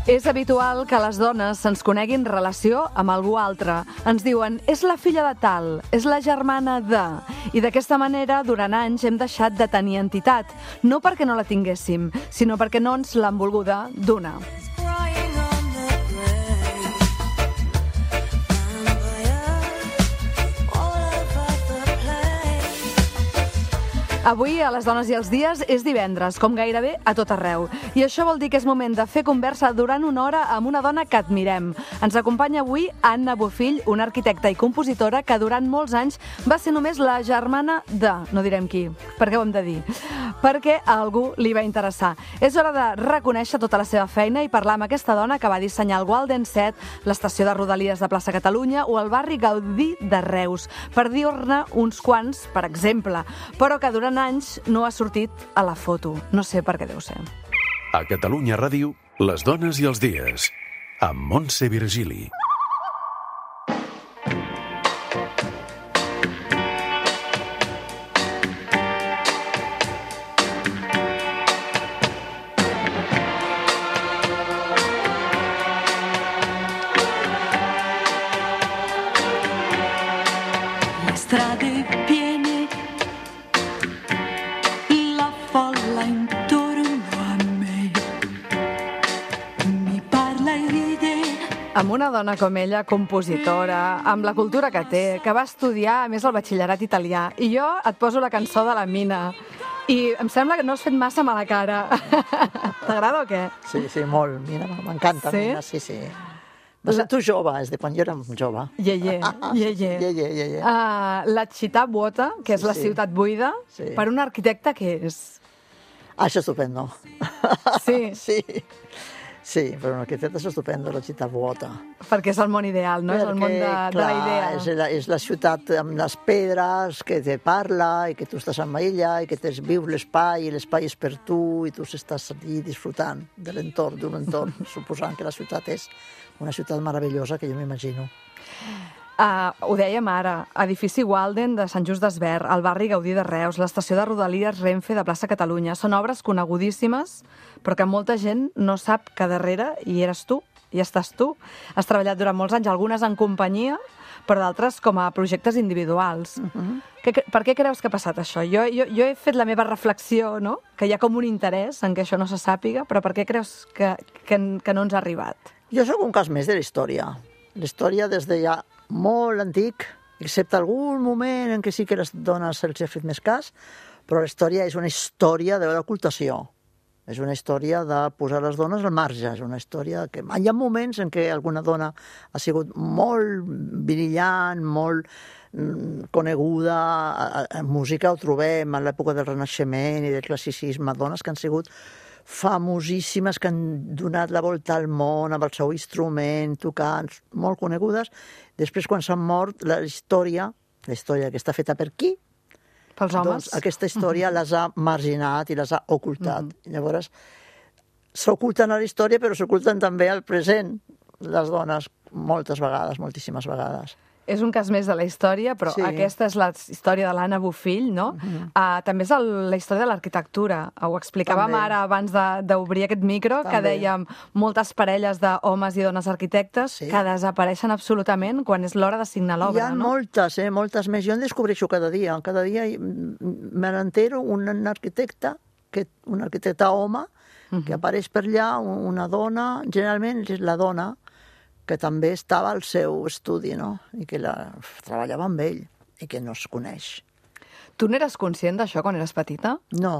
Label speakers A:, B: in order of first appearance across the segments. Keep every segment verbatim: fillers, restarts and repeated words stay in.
A: És habitual que les dones se'ns coneguin relació amb algú altre. Ens diuen, és la filla de tal, és la germana de... I d'aquesta manera, durant anys, hem deixat de tenir entitat. No perquè no la tinguéssim, sinó perquè no ens l'han volguda donar. Avui, a Les dones i els dies, és divendres, com gairebé a tot arreu. I això vol dir que és moment de fer conversa durant una hora amb una dona que admirem. Ens acompanya avui Anna Bofill, una arquitecta i compositora que durant molts anys va ser només la germana de... No direm qui, perquè ho hem de dir. Perquè a algú li va interessar. És hora de reconèixer tota la seva feina i parlar amb aquesta dona que va dissenyar el Walden set, l'estació de Rodalies de Plaça Catalunya o el barri Gaudí de Reus, per dir-ne uns quants, per exemple, però que durant anys no ha sortit a la foto. No sé per què deu ser.
B: A Catalunya Ràdio, Les dones i els dies, amb Montse Virgili.
A: Amb una dona com ella, compositora, amb la cultura que té, que va estudiar, a més, el batxillerat italià. I jo et poso la cançó de la Mina. I em sembla que no has fet massa mala cara. T'agrada o què?
C: Sí, sí, molt. Mina, m'encanta. Sí? Mina, sí, sí. No sé, tu jove, és de quan jo era jove.
A: Ye, ye, ye, ye.
C: Ye, ye, ye, ye.
A: Uh, la città vuota, que és
C: sí,
A: la
C: sí.
A: ciutat buida, sí. Per un arquitecte, què és?
C: Ah, això és estupendo.
A: Sí?
C: Sí. Sí, però un arquitecte és estupendo, la ciutat vuota.
A: Perquè és el món ideal, no? Perquè, és el món de,
C: clar,
A: de la idea.
C: És la, és la ciutat amb les pedres que te parla i que tu estàs amb ella i que tens, vius l'espai i l'espai és per tu i tu estàs allí disfrutant de l'entorn, d'un entorn, suposant que la ciutat és una ciutat meravellosa que jo m'imagino.
A: Uh, ho dèiem ara, edifici Walden de Sant Just Desvern, el barri Gaudí de Reus, l'estació de Rodalies Renfe de Plaça Catalunya. Són obres conegudíssimes, però que molta gent no sap que darrere hi eres tu, hi estàs tu. Has treballat durant molts anys, algunes en companyia, però d'altres com a projectes individuals. Uh-huh. que, per què creus que ha passat això? Jo, jo, jo he fet la meva reflexió, no? Que hi ha com un interès en que això no se sàpiga, però per què creus que, que, que no ens ha arribat?
C: Jo sóc un cas més de la història. La història des de ja molt antic, excepte algun moment en què sí que les dones se'ls ha fet més cas, però la història és una història d'ocultació. És una història de posar les dones al marge. És una història que... Hi ha moments en què alguna dona ha sigut molt brillant, molt coneguda. En música ho trobem, en l'època del Renaixement i del classicisme, dones que han sigut famosíssimes, que han donat la volta al món amb el seu instrument, tocant, molt conegudes. Després, quan s'han mort, la història, la història que està feta per qui?
A: Pels homes.
C: Doncs aquesta història uh-huh. les ha marginat i les ha ocultat. Uh-huh. Llavors, s'oculten a la història, però s'oculten també al present, les dones, moltes vegades, moltíssimes vegades.
A: És un cas més de la història, però sí. Aquesta és la història de l'Anna Bofill, no? Uh-huh. Uh, també és el, la història de l'arquitectura. Ho explicàvem també. Ara abans d'obrir aquest micro, també. Que dèiem moltes parelles d'homes i dones arquitectes sí. Que desapareixen absolutament quan és l'hora de signar l'obra, no?
C: Hi ha moltes, eh? Moltes més. Jo en descobreixo cada dia. Cada dia me n'entero un arquitecte, que, un arquitecte home, uh-huh. Que apareix per allà, una dona, generalment és la dona, que també estava al seu estudi, no? I que la, treballava amb ell i que no es coneix.
A: Tu n'eres conscient d'això quan eres petita?
C: No.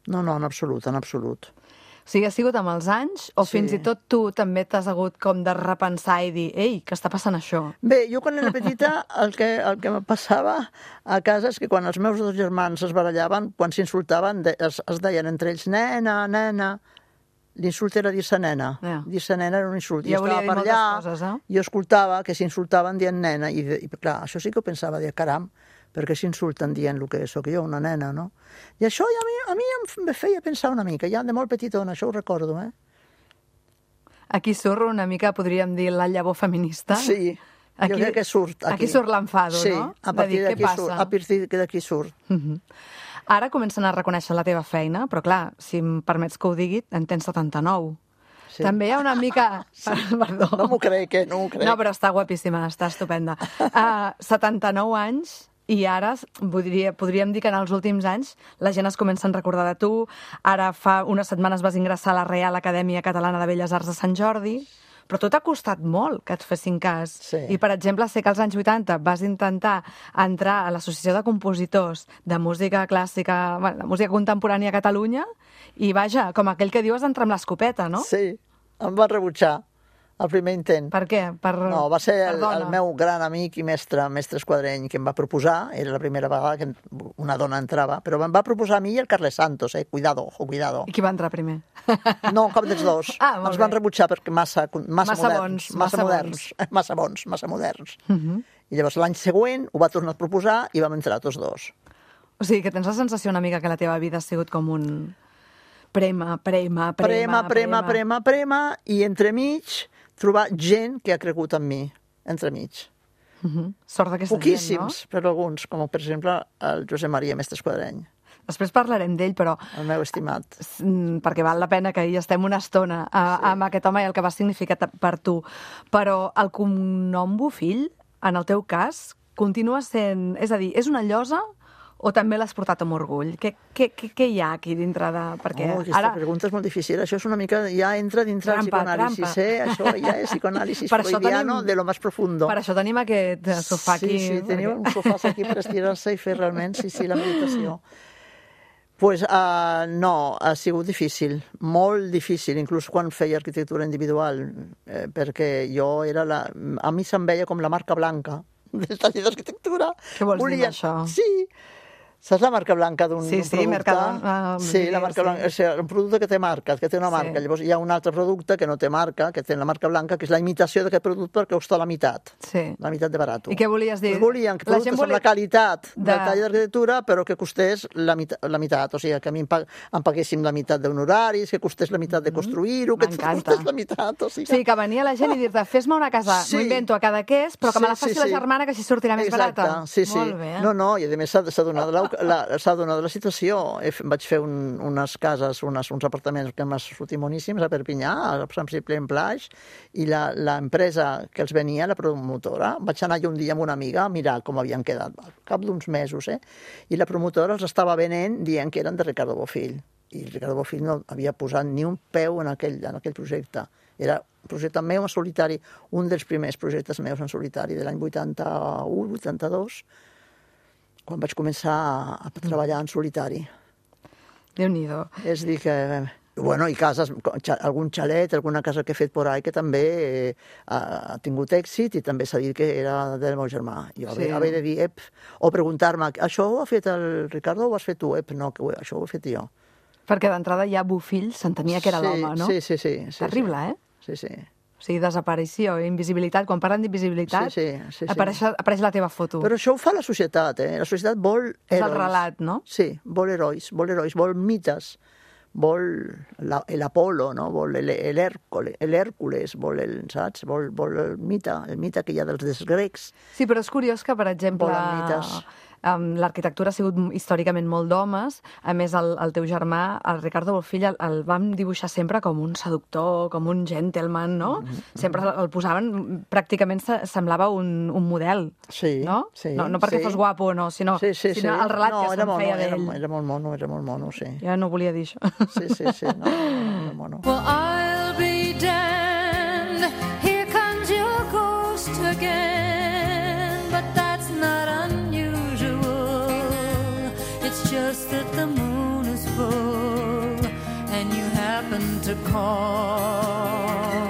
C: No, no, en absolut, en absolut.
A: O sigui, ha sigut amb els anys o sí. Fins i tot tu també t'has hagut com de repensar i dir ei, què està passant això?
C: Bé, jo quan era petita el que, el que me passava a casa és que quan els meus dos germans es barallaven, quan s'insultaven, es, es deien entre ells nena, nena, L'insult era dir-se nena.
A: Ja.
C: Dir-se nena era un insult.
A: Ja
C: Jo
A: volia
C: estava
A: dir
C: per
A: moltes
C: allà,
A: coses, eh?
C: jo escoltava que s'insultaven dient nena, i, i clar, això sí que ho pensava, dir, caram, perquè s'insulten dient el que sóc jo, una nena, no? I això ja a mi, a mi em feia pensar una mica, ja de molt petitona, això ho recordo, eh?
A: Aquí surt una mica, podríem dir, la llavor feminista.
C: Sí,
A: aquí,
C: jo crec que surt. Aquí,
A: aquí surt l'enfado,
C: sí,
A: no?
C: a partir d'aquí surt. A partir d'aquí surt.
A: Uh -huh. Ara comencen a reconèixer la teva feina, però clar, si em permets que ho digui, en tens setanta-nou. Sí. També hi ha una mica... Sí. Perdó.
C: No m'ho crec, eh? No m'ho crec.
A: No, però està guapíssima, està estupenda. Uh, setanta-nou anys, i ara podria, podríem dir que en els últims anys la gent es comença a recordar de tu. Ara fa unes setmanes vas ingressar a la Reial Acadèmia Catalana de Belles Arts de Sant Jordi, però tot ha costat molt que et fessin cas.
C: Sí.
A: I, per exemple, sé que als anys vuitanta vas intentar entrar a l'Associació de Compositors de Música Clàssica, bueno, de Música Contemporània a Catalunya, i vaja, com aquell que dius, entrar amb l'escopeta, no?
C: Sí, em van rebutjar el primer intent.
A: Per què? Per,
C: no, va ser el,
A: per
C: el meu gran amic i mestre, mestre Esquadreny, que em va proposar, era la primera vegada que una dona entrava, però em va proposar a mi i el Carles Santos, eh? Cuidado, ojo, cuidado.
A: I qui va entrar primer?
C: No, cap dels dos.
A: Ah, molt
C: Ens
A: bé.
C: van rebutjar perquè massa, massa,
A: Massa
C: moderns.
A: bons,
C: Massa,
A: massa
C: moderns.
A: bons.
C: Massa bons, massa moderns.
A: Uh -huh.
C: I llavors l'any següent ho va tornar a proposar i vam entrar tots dos.
A: O sigui, que tens la sensació una mica que la teva vida ha sigut com un prema, prema, prema,
C: Prema, prema, prema, prema, i entremig trobar gent que ha cregut en mi, entremig.
A: Uh -huh. Sort d'aquesta gent, no?
C: Poquíssims, però alguns, com per exemple el Josep Maria Mestre Esquadreny,
A: Després parlarem d'ell, però
C: el meu estimat.
A: mm, perquè val la pena que hi estem una estona a,
C: Sí.
A: amb aquest home i el que va significar ta- per tu. Però el cognom Bofill, en el teu cas, continua sent... És a dir, és una llosa o també l'has portat amb orgull? Què, què, què, què hi ha aquí dintre de... Perquè
C: Oh, aquesta
A: ara...
C: pregunta és molt difícil. Això és una mica... Ja entra dintre del
A: Trampa,
C: psicoanàlisis,
A: trampa.
C: eh? Això ja és psicoanàlisis
A: Per això
C: freudiano
A: tenim-
C: de lo más profundo.
A: Per això tenim aquest sofà aquí.
C: Sí, sí, tenim
A: perquè-
C: un sofà aquí per estirar-se i fer realment, sí, sí, la meditació. Pues, uh, no, ha sigut difícil, molt difícil, inclús quan feia arquitectura individual, eh, perquè jo era la... A mi se'm veia com la marca blanca del taller d'arquitectura.
A: Què vols dir amb això?
C: Sí, saps la marca blanca d'un
A: Sí,
C: d'un
A: sí,
C: producte?
A: Mercadona, ah,
C: sí, la marca
A: sí.
C: blanca, o sigui, un producte que té marca, que té una marca.
A: Sí.
C: Llavors hi ha un altre producte que no té marca, que té la marca blanca, que és la imitació d'aquest producte perquè costa la meitat.
A: Sí.
C: La meitat de barat.
A: I què volies dir?
C: Pues volien que
A: La gent
C: productes
A: volia-
C: amb la qualitat
A: de-
C: del taller d'arquitectura, però que costés la, meitat, la meitat. O sigui, que a mi em, pag em paguéssim la meitat d'honoraris, que costés la meitat de construir-ho, que
A: m'encanta.
C: costés la meitat. O sigui,
A: Sí, que venia la gent i dir-te, fes-me una casa,
C: Sí.
A: m'ho invento a cada és, però que me la faci la germana, que així sortirà més
C: Exacte,
A: barata.
C: sí, sí.
A: Molt bé.
C: No, no, i a més s'ha s'ha donat, la, la, s'ha donat la situació. He, vaig fer un, unes cases, unes, uns apartaments que m'han sortit boníssims a Perpinyà, a Sant Ciprià en Plaix, i l'empresa que els venia, la promotora, vaig anar jo un dia amb una amiga a mirar com havien quedat, al cap d'uns mesos, eh? I la promotora els estava venent dient que eren de Ricardo Bofill. I Ricardo Bofill no havia posat ni un peu en aquell, en aquell projecte. Era un projecte meu en solitari, un dels primers projectes meus en solitari de l'any vuitanta-u, vuitanta-dos, quan vaig començar a, a treballar en solitari.
A: Déu-n'hi-do.
C: És a dir que... Bueno, i cases, algun xalet, alguna casa que he fet por ahí que també eh, ha tingut èxit i també s'ha dit que era del meu germà. Jo
A: Sí.
C: sí. haver de dir, ep, o preguntar-me, això ho ha fet el Ricardo o ho has fet tu? Ep, no, que ho, això ho he fet jo.
A: Perquè d'entrada ja Bofill s'entenia que era
C: sí,
A: l'home, no?
C: Sí, sí, sí. sí
A: Terrible,
C: sí.
A: eh?
C: Sí, sí.
A: O sigui, desaparició, invisibilitat. Quan parlen d'invisibilitat,
C: Sí, sí, sí, sí.
A: apareix, apareix la teva foto.
C: Però això ho fa la societat, eh? La societat vol herois.
A: És el relat, no?
C: Sí, vol herois, vol herois, vol mites, vol l'Apolo, no? Vol l'Hèrcules, vol el, saps? Vol, vol el mite, el mite que hi ha dels, dels grecs.
A: Sí, però és curiós que, per exemple,
C: Volen mites.
A: um, l'arquitectura ha sigut històricament molt d'homes. A més, el, el teu germà, el Ricardo Bofill, el, el vam dibuixar sempre com un seductor, com un gentleman, no? Mm-hmm. Sempre el posaven, pràcticament se- semblava un, un model,
C: Sí,
A: no?
C: sí,
A: no? No perquè
C: sí.
A: fos guapo, no, sinó,
C: Sí, sí,
A: sinó
C: sí.
A: el relat
C: no,
A: que
C: era
A: se'n
C: mono,
A: feia
C: era,
A: d'ell.
C: era molt mono, era molt mono, sí.
A: Ja no volia dir això.
C: Sí, sí, sí, no, era mono.
D: Well, I'll be damned. Here comes your ghost again. But that's not unusual. It's just that the moon is full and you happen to call.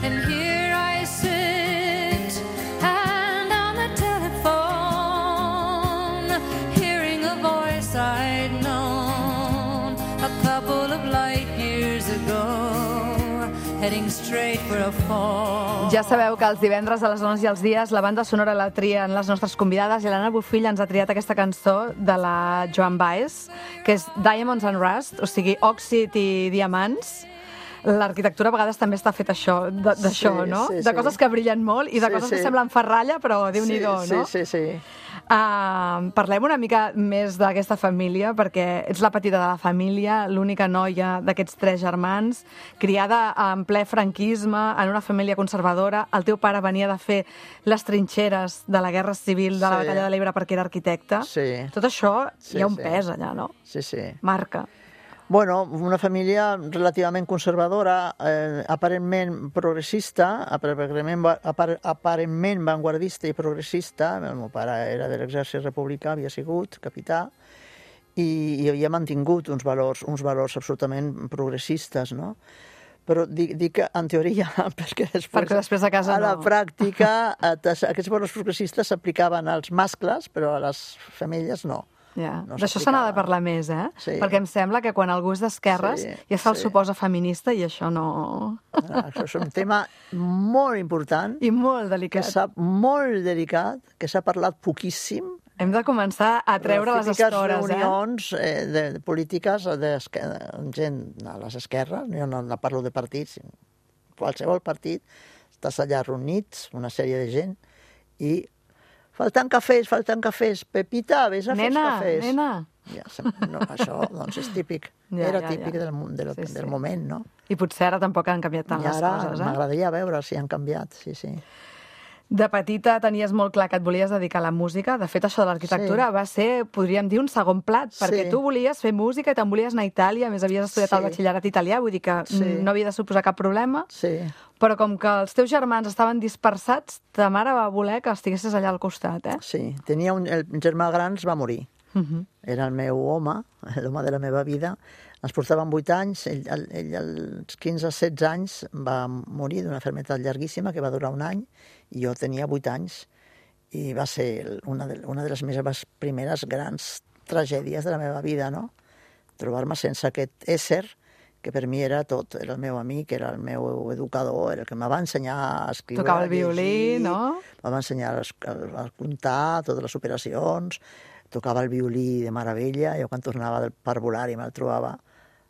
D: And here I sit and on the telephone, hearing a voice I'd known a couple of light years heading straight for a fall.
A: Ja sabeu que els divendres a les dones i els dies la banda sonora la trien les nostres convidades i l'Anna Bofill ens ha triat aquesta cançó de la Joan Baez, que és Diamonds and Rust, o sigui, òxid i diamants. L'arquitectura a vegades també està feta això, d'això,
C: Sí,
A: no?
C: sí,
A: De
C: sí.
A: coses que brillen molt i de
C: Sí,
A: coses
C: sí.
A: que semblen ferralla, però Déu-n'hi-do,
C: sí,
A: no?
C: Sí, sí, sí.
A: Uh, parlem una mica més d'aquesta família, perquè ets la petita de la família, l'única noia d'aquests tres germans, criada en ple franquisme, en una família conservadora. El teu pare venia de fer les trinxeres de la Guerra Civil, de la
C: Sí.
A: Batalla de l'Ebre, perquè era arquitecte.
C: Sí.
A: Tot això
C: Sí,
A: hi ha un
C: sí.
A: pes allà, no?
C: Sí, sí.
A: Marca.
C: Bueno, una família relativament conservadora, eh, aparentment progressista, aparentment, apar, aparentment vanguardista i progressista. El meu pare era de l'exèrcit republicà, havia sigut capità, i, i havia mantingut uns valors, uns valors absolutament progressistes, no? Però dic, dic que en teoria, perquè després,
A: Perquè després a casa
C: a la
A: no.
C: pràctica eh, aquests valors progressistes s'aplicaven als mascles, però a les femelles no.
A: Ja.
C: No
A: D'això se n'ha de
C: s'aplicava.
A: parlar més, eh?
C: Sí.
A: Perquè em sembla que quan algú és d'esquerres
C: Sí,
A: ja se'l
C: sí.
A: suposa feminista i això no...
C: Ah, Això és un tema molt important,
A: I molt
C: que
A: delicat.
C: s'ha molt delicat, que s'ha parlat poquíssim.
A: Hem de començar a treure les
C: típiques
A: estores, eh?
C: reunions eh, de, de polítiques de gent a les esquerres, jo no, no parlo de partits, qualsevol partit, estàs allà reunits, una sèrie de gent, i falten cafès, falten cafès, Pepita, vés a fer els
A: Nena,
C: cafès.
A: nena.
C: Ja, no, això doncs és típic,
A: Ja,
C: era
A: ja,
C: típic
A: ja.
C: del, mo- del,
A: Sí, sí.
C: del moment, no?
A: I potser ara tampoc han canviat tant
C: I
A: les
C: ara
A: coses, eh?
C: m'agradaria veure si han canviat, sí, sí.
A: De petita tenies molt clar que et volies dedicar a la música. De fet, això de l'arquitectura
C: Sí.
A: va ser, podríem dir, un segon plat, perquè
C: Sí.
A: tu volies fer música i te'n volies anar a Itàlia, a més havies estudiat
C: Sí.
A: el batxillerat italià, vull dir que
C: Sí.
A: no havia de suposar cap problema,
C: Sí,
A: però com que els teus germans estaven dispersats, ta mare va voler que estiguessis allà al costat, eh?
C: sí. Tenia un, el germà gran es va morir.
A: Uh -huh.
C: Era el meu home, l'home de la meva vida. Ens portaven vuit anys, ell, ell, ell als quinze setze anys va morir d'una malaltia llarguíssima que va durar un any, i jo tenia vuit anys, i va ser una de, una de les meves primeres grans tragèdies de la meva vida, no? Trobar-me sense aquest ésser que per mi era tot, era el meu amic, era el meu educador, era el que em va ensenyar a escriure,
A: Tocava el
C: a llegir,
A: violí, no?
C: em va ensenyar a, a comptar totes les operacions, tocava el violí de meravella. Jo quan tornava del parvulari me'l trobava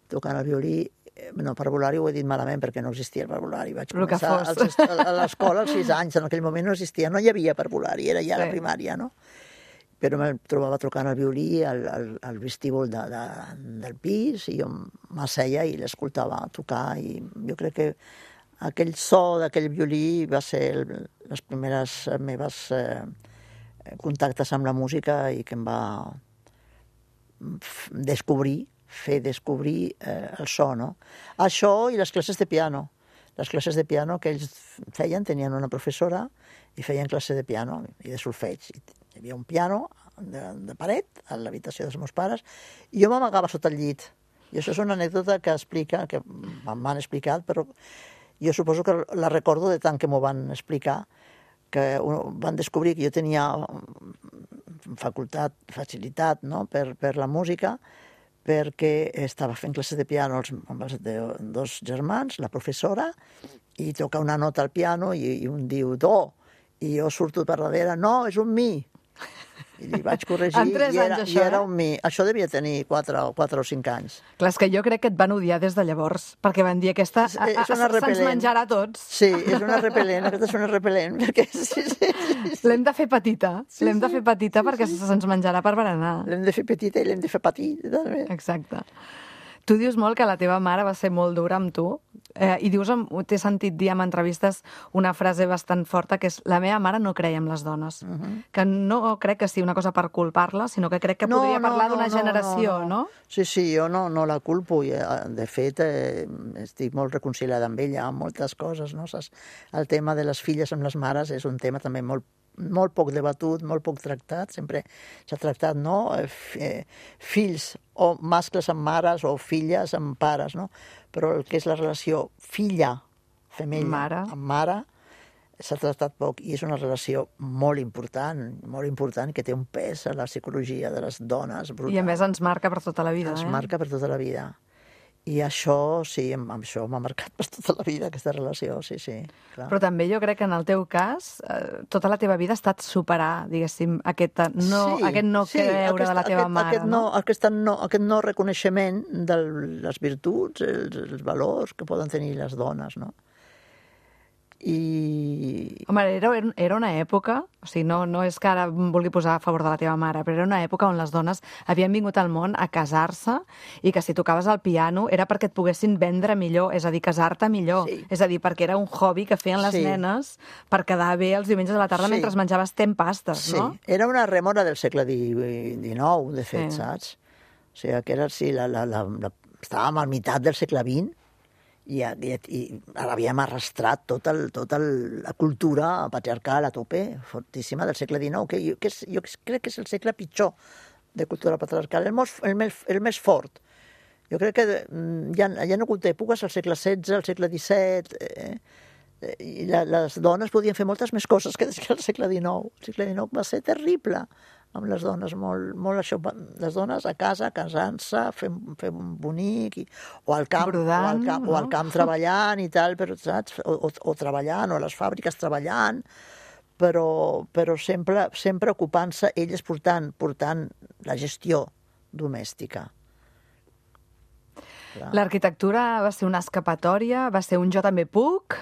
C: tocant el violí. No, parvulari ho he dit malament perquè no existia el parvulari. Vaig
A: El que
C: començar
A: fos.
C: als, a l'escola als sis anys, en aquell moment no existia, no hi havia parvulari, era ja
A: Sí.
C: la primària, no? Però me'l trobava tocant el violí al, al, al vestíbul de, de, del pis, i jo m'asseia i l'escoltava tocar, i jo crec que aquell so d'aquell violí va ser el, les primeres meves eh, contactes amb la música i que em va descobrir, fer descobrir eh, el so, no? Això i les classes de piano. Les classes de piano que ells feien, tenien una professora i feien classe de piano i de solfeig. Hi havia un piano de, de paret a l'habitació dels meus pares i jo m'amagava sota el llit. I això és una anècdota que explica, que m'han explicat, però jo suposo que la recordo de tant que m'ho van explicar, que van descobrir que jo tenia facultat, facilitat, no?, per, per la música, perquè estava fent classes de piano amb els dos germans, la professora, i toca una nota al piano i, i un diu do, i jo surto per darrere, no, és un mi. I li vaig corregir,
A: En tres
C: i era,
A: anys,
C: i
A: això,
C: era
A: eh?
C: un mi. Això devia tenir quatre, quatre o cinc anys.
A: Clar, és que jo crec que et van odiar des de llavors, perquè van dir aquesta
C: És- és una
A: se'ns
C: repel·lent.
A: menjarà a tots.
C: Sí, és una repel·lent, aquesta és una repel·lent, perquè sí, sí, sí, sí.
A: L'hem de fer petita,
C: Sí,
A: l'hem de
C: sí.
A: fer petita perquè se'ns menjarà per berenar.
C: L'hem de fer petita i l'hem de fer patir, també.
A: Exacte. Tu dius molt que la teva mare va ser molt dura amb tu, eh, i dius, em- t'he sentit dir en entrevistes una frase bastant forta, que és la meva mare no creia en les dones. Uh -huh. Que no crec que sigui una cosa per culpar-la, sinó que crec que podria parlar d'una generació, no, no?
C: Sí, sí, jo no, no la culpo. I, eh, de fet, eh, estic molt reconciliada amb ella, amb moltes coses, no? Saps? El tema de les filles amb les mares és un tema també molt molt poc debatut, molt poc tractat, sempre s'ha tractat, no?, eh, fills o mascles amb mares o filles amb pares, no? Però el que és la relació filla, femella,
A: Mare.
C: amb mare, s'ha tractat poc, i és una relació molt important, molt important, que té un pes a la psicologia de les dones brutal.
A: I a més ens marca per tota la vida,
C: Ens
A: eh?
C: marca per tota la vida. I això, sí, amb això m'ha marcat per tota la vida, aquesta relació, sí, sí. Clar.
A: Però també jo crec que en el teu cas, eh, tota la teva vida ha estat superar, diguéssim, aquest no,
C: sí,
A: aquest no
C: sí,
A: creure
C: aquest,
A: de la teva
C: aquest,
A: mare,
C: aquest no? no aquest, no, aquest no reconeixement de les virtuts, els, els valors que poden tenir les dones, no? I...
A: Home, era, era una època, o sigui, no, no és que ara em vulgui posar a favor de la teva mare, però era una època on les dones havien vingut al món a casar-se i que si tocaves el piano era perquè et poguessin vendre millor, és a dir, casar-te millor.
C: Sí.
A: És a dir, perquè era un hobby que feien les
C: sí.
A: nenes per quedar bé els diumenges a la tarda
C: sí.
A: mentre menjaves tempastes,
C: sí.
A: no?
C: Era una rèmora del segle dinou, de fet,
A: Sí.
C: saps? O sigui, que era, sí, la, la, la, la... estàvem al meitat del segle vint i, i, i havíem arrastrat tota el, tota el, la cultura patriarcal a tope, fortíssima, del segle dinou, que jo, que és, jo crec que és el segle pitjor de cultura patriarcal, el, most, el, més, el més fort. Jo crec que hi ha, hi ha hagut èpoques al segle setze, al segle disset, eh, i la, les dones podien fer moltes més coses que des del segle dinou. El segle dinou va ser terrible amb les dones, molt, molt això, les dones a casa, casant-se, fent, fent un bonic, i, o al camp,
A: Brodant,
C: o al camp,
A: no?
C: o al camp treballant i tal, però, saps? O, o, o treballant, o a les fàbriques treballant, però, però sempre, sempre ocupant-se, elles portant, portant la gestió domèstica. Clar.
A: L'arquitectura va ser una escapatòria, va ser un jo també puc...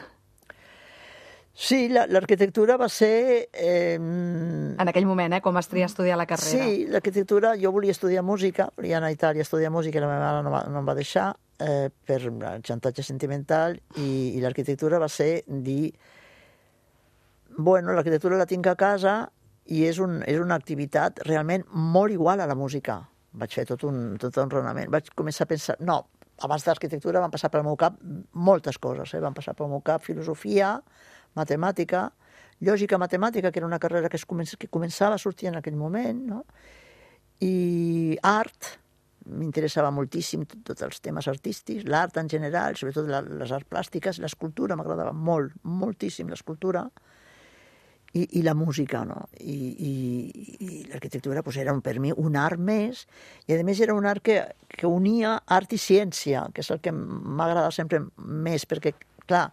C: Sí, l'arquitectura va ser... Eh,
A: en aquell moment, eh, quan vas triar estudiar la carrera.
C: Sí, l'arquitectura, jo volia estudiar música, volia anar a Itàlia a estudiar música i la meva mare no, va, no em va deixar eh, per xantatge sentimental i, i l'arquitectura va ser dir bueno, l'arquitectura la tinc a casa i és, un, és una activitat realment molt igual a la música. Vaig fer tot un, tot un raonament. Vaig començar a pensar... No, abans de l'arquitectura van passar pel meu cap moltes coses. Eh? Van passar pel meu cap filosofia, matemàtica, lògica matemàtica, que era una carrera que, es comença, que començava a sortir en aquell moment, no? I art, m'interessava moltíssim tots tot els temes artístics, l'art en general, sobretot la, les arts plàstiques, l'escultura m'agradava molt, moltíssim l'escultura, i, i la música, no? I, i, i l'arquitectura pues, era per mi un art més, i a més era un art que, que unia art i ciència, que és el que m'agrada sempre més, perquè, clar,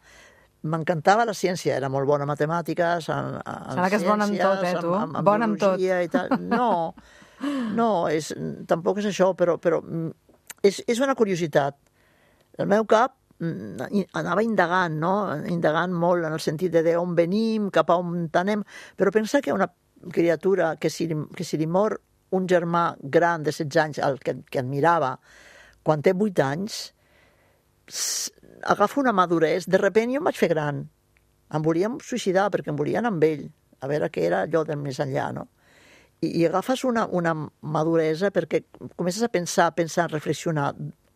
C: m'encantava la ciència, era molt bona en matemàtiques, en, en
A: Sembla que és bona en tot, eh, tu?
C: En, en, en
A: bona en tot.
C: I tal. No, no és, tampoc és això, però, però és, és una curiositat. El meu cap anava indagant, no? Indagant molt en el sentit de d'on venim, cap a on anem, però pensa que una criatura que si, que si li mor un germà gran de setze anys, el que, que admirava, quan té vuit anys, agafa una maduresa, de repent jo em vaig fer gran, em volíem suïcidar perquè em volien amb ell, a veure què era allò del més enllà, no? I, i agafes una, una maduresa perquè comences a pensar, a pensar, a reflexionar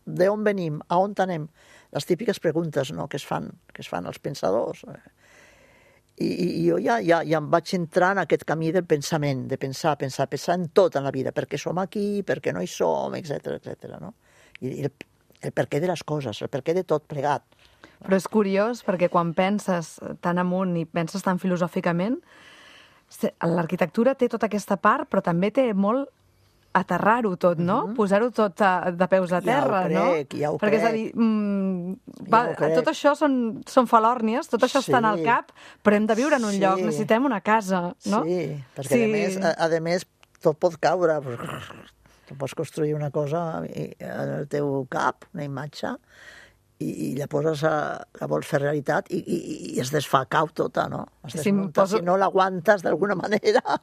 C: d'on venim, a on anem, les típiques preguntes, no?, que es fan, que es fan els pensadors. I, i, i jo ja, ja, ja em vaig entrar en aquest camí del pensament, de pensar, pensar, pensar en tot en la vida, per què som aquí, per què no hi som, etcètera, etcètera, no? I, i el, el perquè de les coses, el perquè de tot plegat.
A: Però és curiós perquè quan penses tan amunt i penses tan filosòficament, l'arquitectura té tota aquesta part, però també té molt aterrar-ho tot, no? Mm-hmm. Posar-ho tot a, de peus a terra,
C: ja ho crec,
A: no?
C: Ja ho
A: perquè
C: crec.
A: és a dir, mm, va,
C: ja
A: tot això són, són falòrnies, tot això
C: sí.
A: està en el cap, però hem de viure en un
C: sí.
A: lloc, necessitem una casa, no?
C: Sí, perquè
A: sí.
C: a més, a, a més tot pot caure. Tu pots construir una cosa en el teu cap, una imatge, i, i la poses a, la vols fer realitat i, i, i es desfà, cau tota, no? Es desmunta, si, poso... si no l'aguantes d'alguna manera.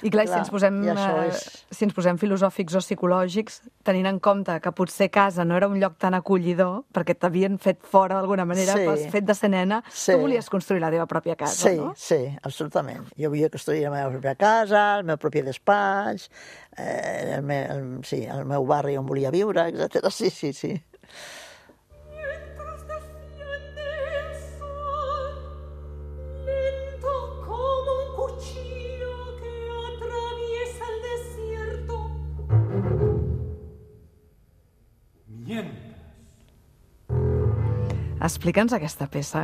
A: I clar, clar, si ens posem,
C: és...
A: si ens posem filosòfics o psicològics, tenint en compte que potser casa no era un lloc tan acollidor, perquè t'havien fet fora d'alguna manera,
C: sí.
A: has fet de ser nena,
C: sí.
A: tu volies construir la teva pròpia casa,
C: sí,
A: no?
C: Sí, absolutament. Jo volia construir la meva pròpia casa, el meu propi despatx, eh, el, me, el, sí, el meu barri on volia viure, etcètera. Sí, sí, sí.
A: Explica'ns aquesta peça.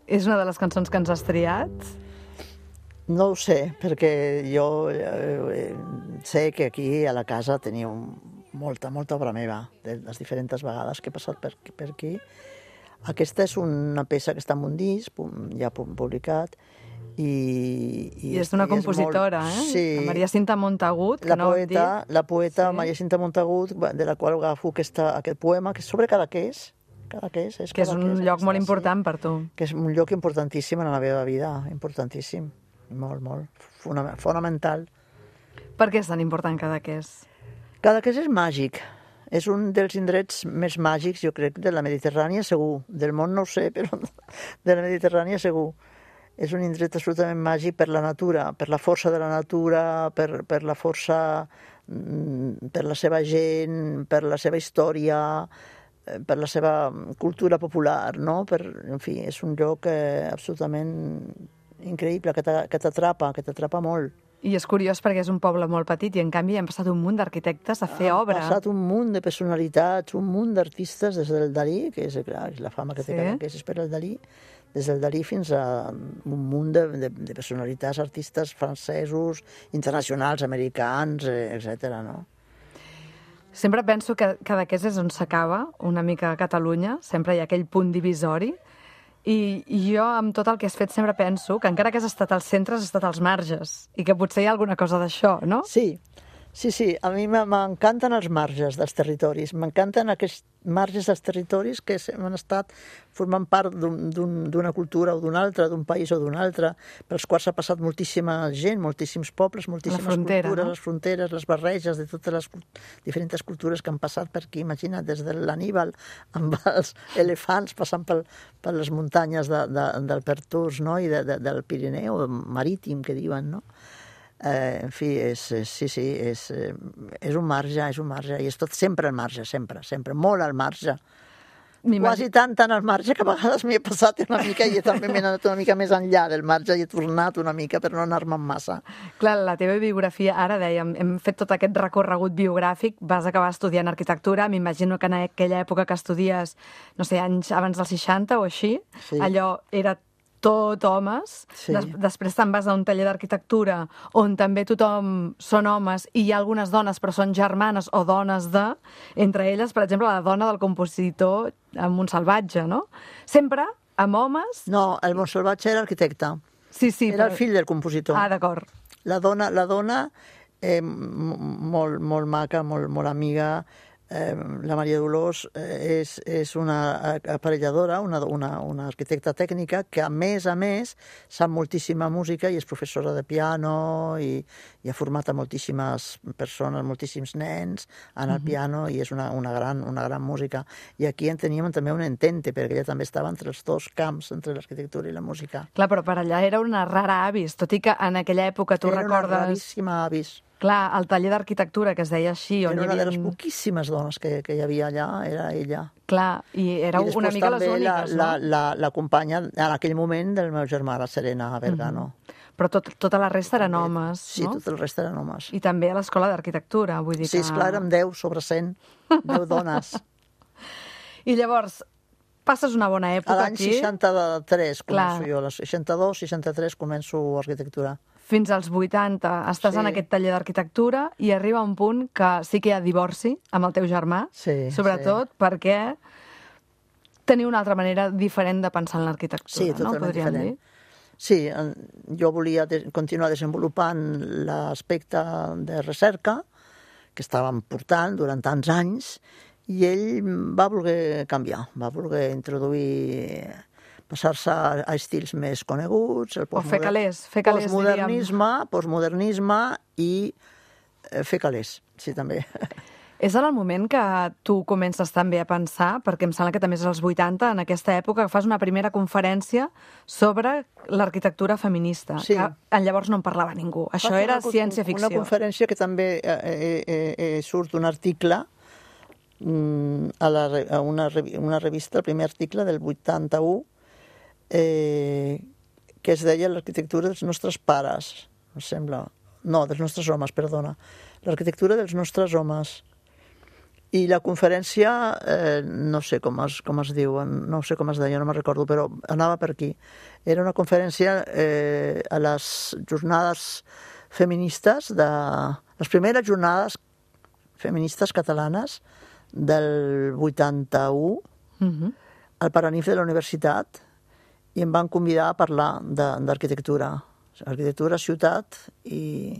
A: És una de les cançons que ens has triat?
C: No ho sé, perquè jo eh, sé que aquí a la casa teniu molta, molta obra meva, de les diferents vegades que he passat per, per aquí. Aquesta és una peça que està en un disc, ja publicat, i...
A: I, I és d'una compositora,
C: molt...
A: eh?
C: Sí.
A: La Maria Cinta Montagut,
C: la
A: que no
C: poeta, la poeta
A: sí.
C: Maria Cinta Montagut, de la qual agafo aquesta, aquest poema, que és sobre Cadaqués, Cadaqués, és
A: que és un lloc molt important
C: sí,
A: per tu.
C: Que és un lloc importantíssim en la meva vida, importantíssim, molt, molt, fonamental.
A: Per què és tan important Cadaqués?
C: Cadaqués és màgic. És un dels indrets més màgics, jo crec, de la Mediterrània, segur. Del món no ho sé, però de la Mediterrània segur. És un indret absolutament màgic per la natura, per la força de la natura, per, per la força, per la seva gent, per la seva història, per la seva cultura popular, no? Per, en fi, és un lloc eh, absolutament increïble, que t'atrapa, que t'atrapa molt.
A: I és curiós perquè és un poble molt petit i en canvi han passat un munt d'arquitectes a fer
C: Han
A: obra.
C: Han passat un munt de personalitats, un munt d'artistes, des del Dalí, que és, clar, és la fama que té
A: sí.
C: que és per el Dalí, des del Dalí fins a un munt de, de, de personalitats, artistes francesos, internacionals, americans, etcètera, no?
A: Sempre penso que Cadaqués és on s'acaba, una mica a Catalunya, sempre hi ha aquell punt divisori, I, i jo, amb tot el que has fet, sempre penso que encara que has estat als centres, has estat als marges, i que potser hi ha alguna cosa d'això, no?
C: Sí, sí, sí. A mi m'encanten els marges dels territoris, m'encanten aquests marges dels territoris que han estat formant part d'una cultura o d'una altra, d'un país o d'un altre, pels quals ha passat moltíssima gent, moltíssims pobles, moltíssimes
A: frontera,
C: cultures,
A: no?
C: les fronteres, les barreges de totes les diferents cultures que han passat per aquí. Imagina't, des de l'Aníbal amb els elefants passant pel, per les muntanyes de, de, del Pertús, no? I de, de, del Pirineu marítim, que diuen, no? Eh, en fi, és, és, sí, sí, és, és un marge, és un marge, i és tot sempre al marge, sempre, sempre, molt al marge. Quasi tant, tant al marge que a vegades m'hi he passat una mica i també m'he anat una mica més enllà del marge i he tornat una mica per no anar-me'n massa.
A: Clar, la teva biografia, ara dèiem, hem fet tot aquest recorregut biogràfic, vas acabar estudiant arquitectura, m'imagino que en aquella època que estudies, no sé, anys abans dels seixanta o així,
C: sí.
A: Allò era tot homes,
C: sí.
A: Des, després te'n vas a un taller d'arquitectura on també tothom són homes i hi ha algunes dones però són germanes o dones de, entre elles, per exemple, la dona del compositor Montsalvatge, no? Sempre amb homes...
C: No, el Montsalvatge era arquitecte.
A: Sí, sí.
C: Era
A: però...
C: el fill del compositor.
A: Ah, d'acord.
C: La dona, la dona eh, molt, molt maca, molt, molt amiga, Eh, la Maria Dolors eh, és, és una aparelladora, una, una, una arquitecta tècnica que a més a més sap moltíssima música i és professora de piano i, i ha format a moltíssimes persones, moltíssims nens en el uh-huh. piano i és una, una, gran, una gran música. I aquí en teníem també un entente perquè ella també estava entre els dos camps, entre l'arquitectura i la música.
A: Clar, però per allà era una rara avis, tot i que en aquella època tu
C: era
A: recordes...
C: Era una raríssima avis.
A: Clar, el taller d'arquitectura que es deia així... On
C: era una
A: hi havia...
C: de les poquíssimes dones que, que hi havia allà, era ella.
A: Clar, i era I una mica les úniques,
C: la,
A: no?
C: La, la companya, en aquell moment, del meu germà, la Serena Vergano.
A: Mm-hmm. Però tot, tota la resta eren homes,
C: sí,
A: no?
C: Sí, tot el resta eren homes.
A: I també a l'escola d'arquitectura, vull dir que...
C: Sí, esclar, érem deu sobre cent, deu dones.
A: I llavors, passes una bona època
C: aquí? A l'any
A: aquí...
C: seixanta-tres començo jo, a les seixanta-dos seixanta-tres començo arquitectura.
A: Fins als vuitanta estàs
C: sí.
A: en aquest taller d'arquitectura i arriba un punt que sí que hi ha divorci amb el teu germà,
C: sí,
A: sobretot sí. perquè teniu una altra manera diferent de pensar en l'arquitectura,
C: sí,
A: no? Podríem
C: diferent.
A: dir?
C: Sí, jo volia de continuar desenvolupant l'aspecte de recerca que estàvem portant durant tants anys i ell va voler canviar, va voler introduir... passar-se a estils més coneguts, el
A: o fer calés, fer calés,
C: postmodernisme, postmodernisme i fer calés, sí, també.
A: És en el moment que tu comences també a pensar, perquè em sembla que també és als vuitanta, en aquesta època, que fas una primera conferència sobre l'arquitectura feminista,
C: sí.
A: que llavors no en parlava ningú. Això Fas era ciència-ficció.
C: Una conferència que també eh, eh, eh, surt un article a, la, a una, una revista, el primer article del vuitanta-u, Eh, que es deia l'arquitectura dels nostres pares, em sembla. No, dels nostres homes, perdona. L'arquitectura dels nostres homes. I la conferència, eh, no sé com es, com es diu, no sé com es deia, no me'n recordo, però anava per aquí. Era una conferència eh, a les jornades feministes, de les primeres jornades feministes catalanes del vuitanta-u
A: Mhm.
C: al Paranif de la universitat i em van convidar a parlar d'arquitectura. Arquitectura, ciutat i,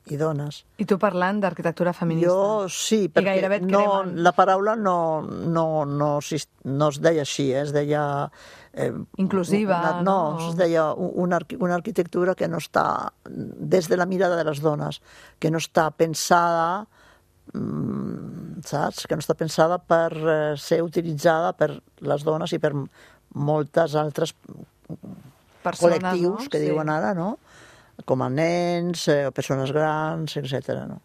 C: i dones.
A: I tu parlant d'arquitectura feminista.
C: Jo sí, perquè
A: gairebé et
C: no,
A: cremen.
C: la paraula no, no, no, sis- no es deia així, eh? Es deia... Eh,
A: Inclusiva,
C: una, no,
A: no?
C: es deia una, arqui- una arquitectura que no està, des de la mirada de les dones, que no està pensada, mm, saps? Que no està pensada per eh, ser utilitzada per les dones i per moltes altres
A: Persones,
C: col·lectius
A: no?
C: que
A: Sí.
C: diuen ara, no? Com a nens, eh, persones grans, etcètera. No?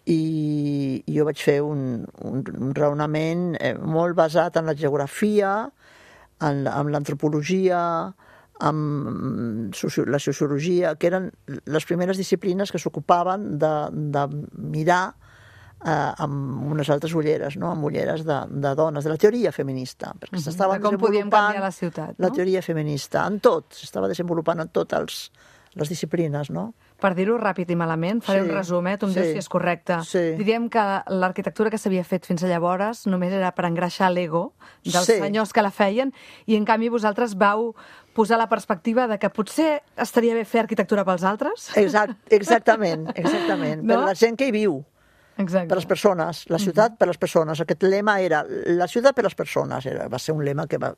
C: I, I jo vaig fer un, un, un raonament eh, molt basat en la geografia, en, en l'antropologia, en soci, la sociologia, que eren les primeres disciplines que s'ocupaven de, de mirar eh, amb unes altres ulleres, no? Amb ulleres de, de dones, de la teoria feminista, perquè
A: Mhm.
C: s'estava
A: De com podíem
C: desenvolupant
A: canviar la ciutat,
C: la
A: no?
C: teoria feminista, en tot, s'estava desenvolupant en totes les disciplines, no?
A: Per dir-ho ràpid i malament, faré
C: Sí,
A: un resum, eh? Tu em
C: sí,
A: dius si és correcte.
C: sí.
A: Diríem que l'arquitectura que s'havia fet fins a llavors només era per engreixar l'ego dels
C: Sí.
A: senyors que la feien, i en canvi vosaltres vau posar la perspectiva de que potser estaria bé fer arquitectura pels altres?
C: Exact, exactament, exactament.
A: No?
C: Per la gent que hi viu,
A: Exacte.
C: per les persones, la ciutat per les persones. Aquest lema era la ciutat per les persones. Era, va ser un lema que va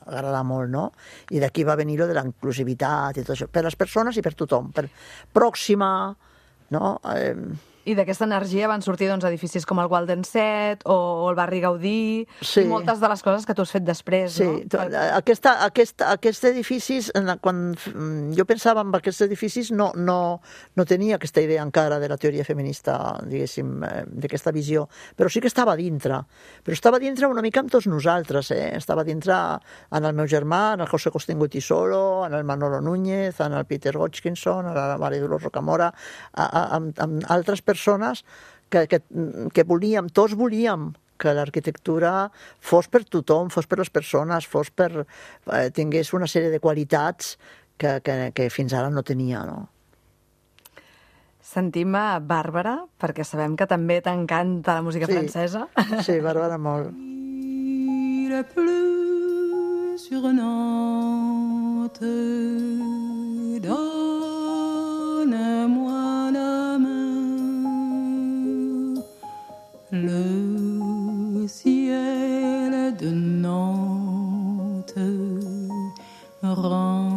C: agradar molt, no? I d'aquí va venir lo de la inclusivitat i tot això. Per les persones i per tothom. Per pròxima, no? Eh,
A: I d'aquesta energia van sortir doncs, edificis com el Walden Set o, o el barri Gaudí,
C: Sí.
A: i moltes de les coses que tu has fet després,
C: Sí,
A: no?
C: to- aquesta, aquesta, aquests edificis, en la- quan mm, jo pensava en aquests edificis, no, no, no tenia aquesta idea encara de la teoria feminista, diguéssim, eh, d'aquesta visió, però sí que estava dintre. Però estava dintre una mica amb tots nosaltres, eh? Estava dintre en el meu germà, en el José Costingo Tisolo, en el Manolo Núñez, en el Peter Hodgkinson, en la Maria Dolors Rocamora, a, a, amb, amb altres persones que, que, que volíem, tots volíem que l'arquitectura fos per tothom, fos per les persones, fos per, eh, tingués una sèrie de qualitats que, que, que fins ara no tenia, no?
A: Sentim a Bàrbara, perquè sabem que també t'encanta la música
C: Sí.
A: francesa.
C: Sí, Bàrbara, molt.
D: Il pleut sur Nantes, donne-moi la main. Le ciel de Nantes rend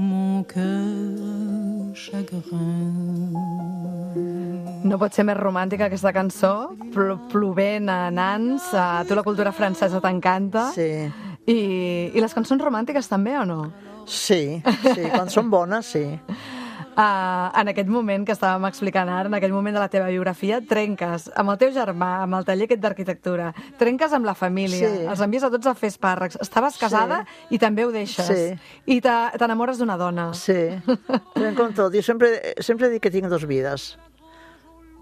D: mon cœur chagrin.
A: No pot ser més romàntica aquesta cançó, pl plovent a Nans, a tu la cultura francesa t'encanta.
C: Sí,
A: I, I les cançons romàntiques també, o no?
C: sí, sí, quan són bones, sí.
A: Uh, en aquest moment que estàvem explicant ara, en aquell moment de la teva biografia, trenques amb el teu germà, amb el taller aquest d'arquitectura, trenques amb la família,
C: Sí.
A: els envies a tots a fer espàrrecs. Estaves casada i també ho deixes.
C: Sí.
A: I te- t'enamores d'una dona.
C: Sí, trenco amb tot. Jo sempre, sempre dic que tinc dos vides.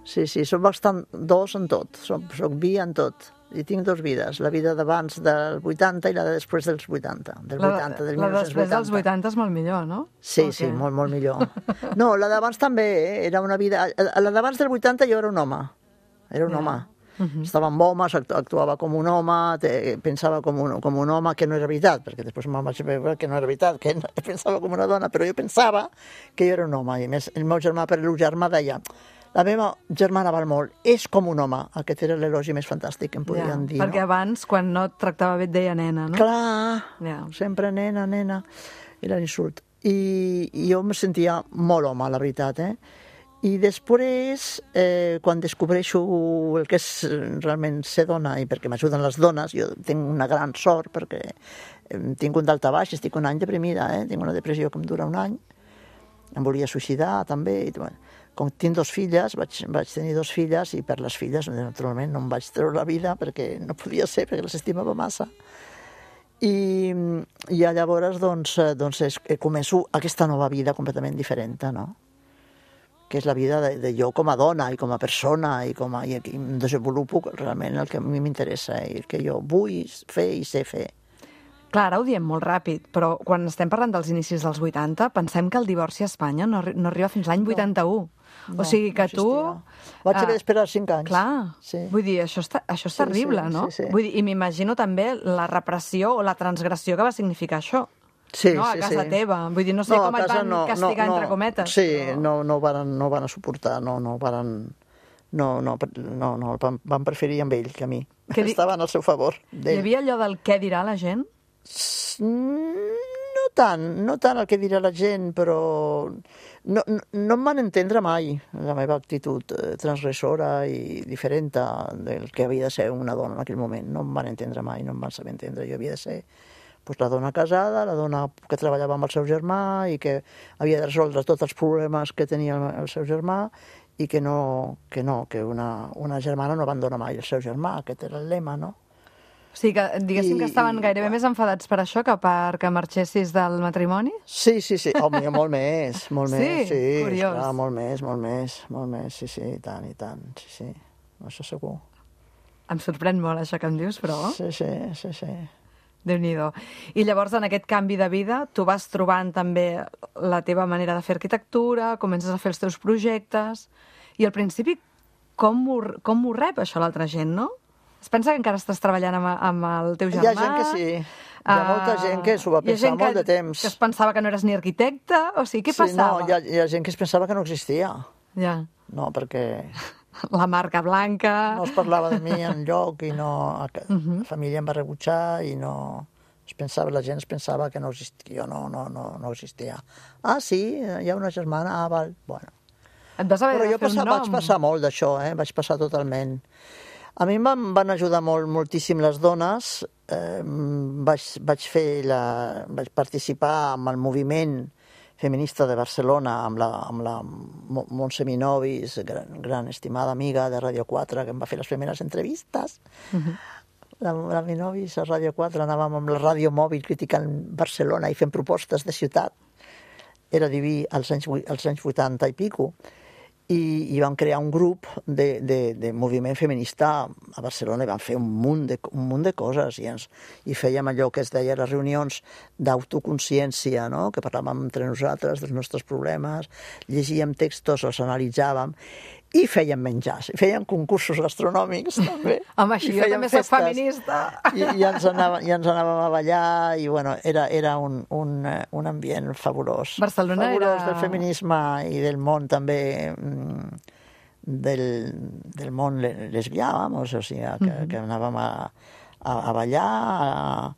C: Sí, sí, soc bastant dos en tot. Soc, soc bi en tot. I tinc dos vides, la vida d'abans del vuitanta i la de després dels vuitanta, del
A: La,
C: vuitanta, del
A: la després dels
C: mil nou-cents vuitanta.
A: vuitanta és molt millor, no?
C: Sí,
A: O
C: sí,
A: què?
C: molt, molt millor. No, la d'abans també, eh? Era una vida... A la d'abans del vuitanta jo era un home. Era un
A: Ja.
C: home. Estava amb homes, actu- actuava com un home, te- pensava com un, com un home, que no era veritat, perquè després me'n vaig veure que no era veritat, que no- pensava com una dona, però jo pensava que jo era un home. I a més, el meu germà, per el germà, deia la meva germana val molt, és com un home. Aquest era l'elogi més fantàstic que em podien dir,
A: perquè
C: no?
A: abans, quan no et tractava bé, et deia nena, no?
C: Clar,
A: Ja.
C: sempre nena, nena, era l'insult. I, I jo em sentia molt home, la veritat, eh? I després, eh, quan descobreixo el que és realment ser dona, i perquè m'ajuden les dones, jo tinc una gran sort, perquè eh, tinc un daltabaix, estic un any deprimida, eh? Tinc una depressió que em dura un any, em volia suïcidar també, i, bueno, com tinc dos filles, vaig, vaig tenir dos filles, i per les filles, naturalment, no em vaig treure la vida, perquè no podia ser, perquè les estimava massa. I, i llavors, doncs, eh, doncs és, eh, començo aquesta nova vida completament diferent, no? Que és la vida de, de jo com a dona i com a persona, i, com a, i aquí em desenvolupo realment el que a mi m'interessa i el que jo vull fer i sé fer.
A: Clar, ara ho diem molt ràpid, però quan estem parlant dels inicis dels vuitanta, pensem que el divorci a Espanya no, arri- no arriba fins l'any vuitanta-u.
C: No,
A: o sigui que
C: no
A: tu...
C: existia. Vaig haver d'esperar cinc anys.
A: Clar,
C: Sí.
A: vull dir, això és, això és
C: Sí,
A: terrible,
C: sí,
A: no?
C: sí, sí.
A: Vull dir, i m'imagino també la repressió o la transgressió que va significar això.
C: Sí,
A: no? A
C: sí,
A: casa
C: sí.
A: teva. Vull dir, no sé
C: No, a
A: com et
C: casa
A: van
C: no,
A: castigar,
C: no, no.
A: entre cometes.
C: Sí,
A: però...
C: no, no, van, no van a suportar, no, no van... No, no, no, no van, van preferir amb ell que a mi.
A: Que di-
C: Estaven al seu favor.
A: Hi
C: d'ell.
A: havia allò del què dirà la gent?
C: No tant, no tant el que dirà la gent, però no, no, no em van entendre mai la meva actitud eh, transgressora i diferent del que havia de ser una dona en aquell moment. No em van entendre mai, no em van saber entendre. Jo havia de ser pues, la dona casada, la dona que treballava amb el seu germà i que havia de resoldre tots els problemes que tenia el, el seu germà i que no, que, no, que una, una germana no abandona mai el seu germà, aquest era el lema, no?
A: O sigui, que diguéssim
C: I-
A: que estaven
C: i-
A: gairebé més enfadats per això que perquè marxessis del matrimoni?
C: Sí, sí, sí. Home, molt més, molt
A: Sí?
C: més. Sí,
A: Curiós.
C: esclar, molt més, molt més, molt més, sí, sí, i tant, i tant, sí, sí. Això segur.
A: Em sorprèn molt això que em dius, però...
C: Sí, sí, sí, sí.
A: Déu-n'hi-do. I llavors, en aquest canvi de vida, tu vas trobant també la teva manera de fer arquitectura, comences a fer els teus projectes, i al principi, com ho, com ho rep això l'altra gent, no? Es pensa que encara estàs treballant amb, amb el teu
C: Hi
A: germà?
C: ha gent que sí. Hi ha molta gent que s'ho va
A: Hi ha
C: pensar
A: gent
C: molt
A: que,
C: de temps.
A: que es pensava que no eres ni arquitecte, o sigui, què
C: Sí,
A: passava?
C: no, hi ha, hi ha gent que es pensava que no existia.
A: Ja.
C: No, perquè
A: La marca blanca...
C: no es parlava de mi enlloc i no... La família em va rebutjar i no... Es pensava, la gent es pensava que no existia, jo no, no, no, no existia. Ah, sí, hi ha una germana, ah, val, bueno.
A: Et vas haver
C: Però
A: de
C: jo
A: fer
C: passa,
A: un nom.
C: vaig passar molt d'això, eh? Vaig passar totalment. A mi em van, van ajudar molt, moltíssim les dones. Eh, vaig, vaig, fer la, vaig participar en el moviment feminista de Barcelona amb la, amb la Mo- Montse Minovis, gran, gran estimada amiga de Ràdio quatre, que em va fer les primeres entrevistes. La, la Minovis a Ràdio quatre anàvem amb la ràdio mòbil criticant Barcelona i fent propostes de ciutat. Era diví als anys, vuit- als anys vuitanta i pico. I, i vam crear un grup de, de, de moviment feminista a Barcelona i vam fer un munt de, un munt de coses i, ens, i fèiem allò que es deia les reunions d'autoconsciència, no? Que parlàvem entre nosaltres dels nostres problemes, llegíem textos, els analitzàvem i fèiem menjars, i fèiem concursos gastronòmics també.
A: Home, així
C: I
A: jo
C: fèiem
A: també soc
C: festes.
A: feminista.
C: I, i, ens anàvem, i ens anàvem a ballar i bueno, era, era un, un, eh, un ambient fabulós.
A: Barcelona
C: fabulós
A: era-
C: del feminisme i del món també mm, del, del món le- lesbià, vamos, o sigui, que, mm -hmm. que anàvem a, a, a ballar a,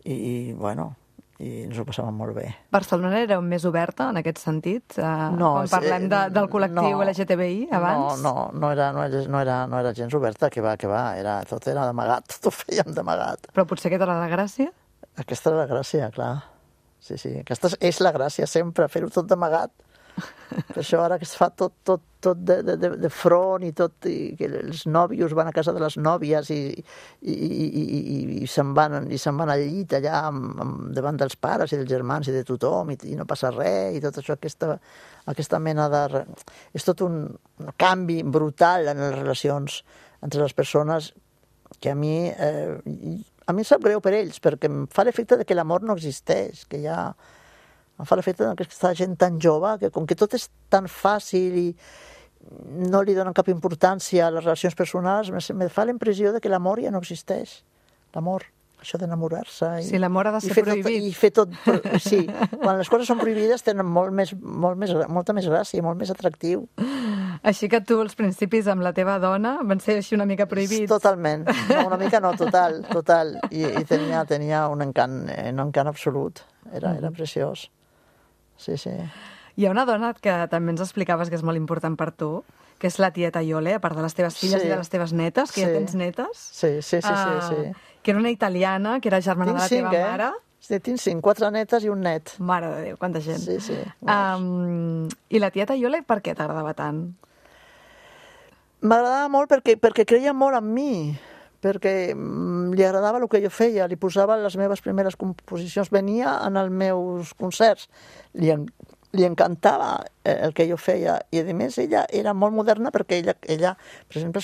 C: i, i bueno, i ens ho passàvem molt bé.
A: Barcelona era més oberta en aquest sentit? Eh,
C: No,
A: quan parlem de, del col·lectiu
C: no,
A: L G T B I abans?
C: No, no, no era, no, era, no, era, no era gens oberta, que va, que va, era, tot era d'amagat, tot ho fèiem d'amagat.
A: Però potser aquesta era la gràcia?
C: Aquesta era la gràcia, clar. Sí, sí, aquesta és la gràcia sempre, fer-ho tot d'amagat. Per això ara que es fa tot, tot, tot de, de, de front i tot, i que els nòvios van a casa de les nòvies i, i, i, i, i, i se'n van, i se'n van al llit allà amb, amb, davant dels pares i dels germans i de tothom i, i no passa res i tot això, aquesta, aquesta mena de... És tot un, un canvi brutal en les relacions entre les persones que a mi, eh, a mi em sap greu per ells perquè em fa l'efecte de que l'amor no existeix, que hi ha... Em fa l'efecte que aquesta gent tan jove, que com que tot és tan fàcil i no li donen cap importància a les relacions personals, me fa la impressió de que l'amor ja no existeix. L'amor, això d'enamorar-se.
A: Sí, l'amor ha de ser
C: i fer
A: prohibit.
C: Tot, I fer tot... Sí, quan les coses són prohibides tenen molt més, molt més, molta més gràcia, molt més atractiu.
A: Així que tu, als principis, amb la teva dona, van ser així una mica prohibits.
C: Totalment. No, una mica no, total, total. I, i tenia, tenia un encant, un encant absolut. Era, era preciós. Sí, sí.
A: Hi ha una dona que també ens explicaves que és molt important per tu, que és la tieta Iole, a part de les teves filles
C: Sí.
A: i de les teves netes, que
C: Sí.
A: ja tens netes.
C: Sí, sí, sí,
A: Ah,
C: sí, sí.
A: Que era una italiana, que era germana de la teva
C: eh?
A: mare.
C: Sí, tinc cinc, quatre netes i un net.
A: Mare de Déu, quanta gent.
C: Sí, sí.
A: Um, I la tieta Iole, per què t'agradava tant?
C: M'agradava molt perquè, perquè creia molt en mi, perquè mm, li agradava el que jo feia, li posava les meves primeres composicions, venia en els meus concerts, li, en, li encantava el que jo feia, i a més ella era molt moderna perquè ella, ella per exemple,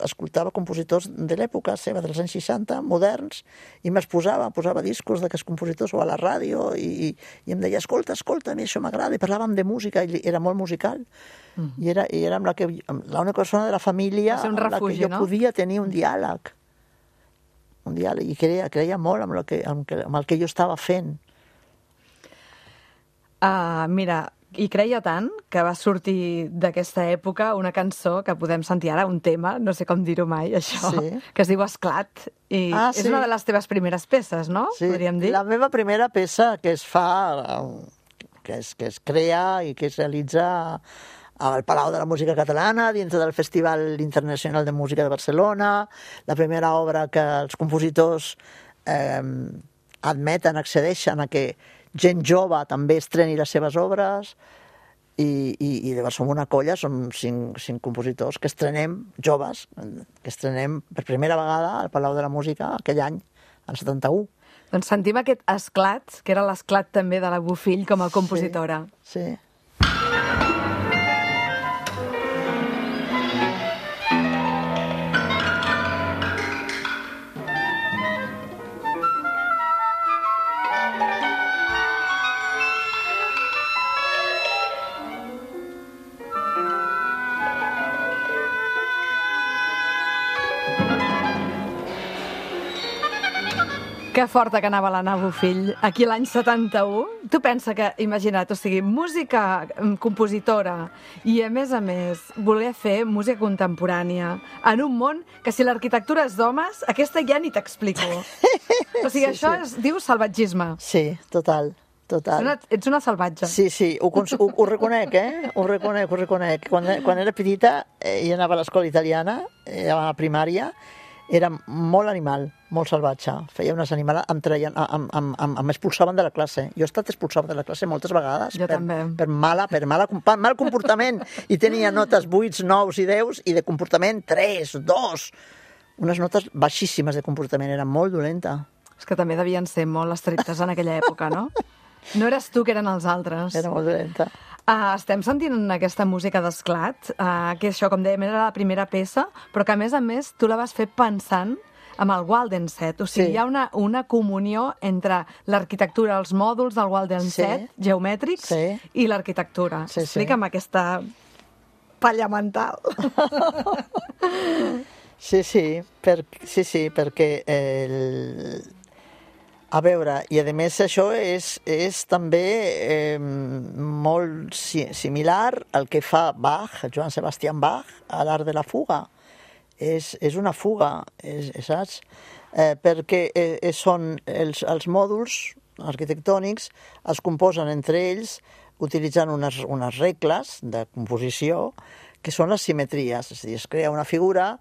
C: escoltava compositors de l'època seva, dels anys seixanta, moderns, i me'ls posava, posava discos d'aquests compositors o a la ràdio, i, i em deia, escolta, escolta, a mi això m'agrada, i parlàvem de música, i era molt musical, mm. i, era, i era amb la que, l'única persona de la família
A: amb la que jo
C: no? podia tenir un diàleg, un diàleg, i creia, creia molt amb, que, amb, que, amb el que jo estava fent.
A: Uh, mira, i creia tant que va sortir d'aquesta època una cançó que podem sentir ara, un tema, no sé com dir-ho mai, això, sí. que es diu Esclat, i ah, és sí. una de les teves primeres peces, no?
C: Sí,
A: podríem dir.
C: La meva primera peça que es fa, que es, que es crea i que es realitza al Palau de la Música Catalana, dintre del Festival Internacional de Música de Barcelona, la primera obra que els compositors eh, admeten, accedeixen a que gent jove també estreni les seves obres, i, i, i llavors som una colla, som cinc, cinc compositors que estrenem, joves, que estrenem per primera vegada al Palau de la Música aquell any, en setanta-u.
A: Doncs sentim aquest Esclat, que era l'esclat també de la Bofill com a compositora.
C: Sí, sí.
A: Que forta que anava l'Anna Bofill aquí l'any setanta-u. Tu pensa que, imagina't, o sigui, música, compositora, i a més a més voler fer música contemporània en un món que si l'arquitectura és d'homes, aquesta ja ni t'explico. O sigui, sí, això sí. es diu salvatgisme.
C: Sí, total. Total.
A: Una, ets una salvatge.
C: Sí, sí, ho, ho, ho reconec, eh? Ho reconec, ho reconec. Quan, quan era petita eh, i anava a l'escola italiana, eh, a la primària, era molt animal, molt salvatge. Feia unes animals, em treien, em, em, em, em expulsaven de la classe. Jo he estat expulsada de la classe moltes vegades
A: jo
C: per,
A: també.
C: per, mala, per mala, mal comportament. I tenia notes vuit, nou i deu, i de comportament tres, dos. Unes notes baixíssimes de comportament, era molt dolenta.
A: És que també devien ser molt estrictes en aquella època, no? No eres tu, que eren els altres.
C: Era molt dolenta.
A: Uh, estem sentint aquesta música d'Esclat, uh, que això, com dèiem, era la primera peça, però que, a més a més, tu la vas fer pensant amb el Waldenset. O sigui, sí. hi ha una, una comunió entre l'arquitectura, els mòduls del Waldenset, sí. geomètrics, sí. i l'arquitectura. Sí, Explica'm sí. aquesta palla mental.
C: Sí, sí, per, sí, sí, perquè el... A veure, i a més això és, és també eh, molt si, similar al que fa Bach, Johann Sebastian Bach, a l'art de la fuga. És, és una fuga, és, saps? Eh, perquè eh, són els, els mòduls arquitectònics es composen entre ells utilitzant unes, unes regles de composició que són les simetries. És a dir, es crea una figura,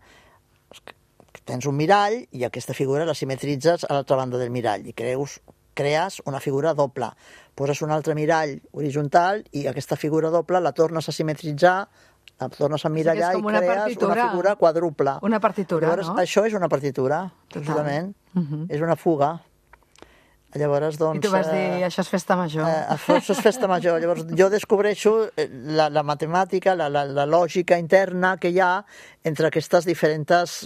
C: tens un mirall i aquesta figura la simetritzes a l'altra banda del mirall i creus, crees una figura doble. Poses un altre mirall horitzontal i aquesta figura doble la tornes a simetritzar, la tornes a emmirallar
A: o sigui,
C: i crees
A: partitura.
C: una figura quadruple.
A: Una partitura,
C: Llavors,
A: no?
C: Això és una partitura, justament. Uh-huh. És una fuga. Llavors, doncs...
A: I tu vas dir, això és festa major.
C: Eh, això és festa major. Llavors, jo descobreixo la, la matemàtica, la, la, la lògica interna que hi ha entre aquestes diferents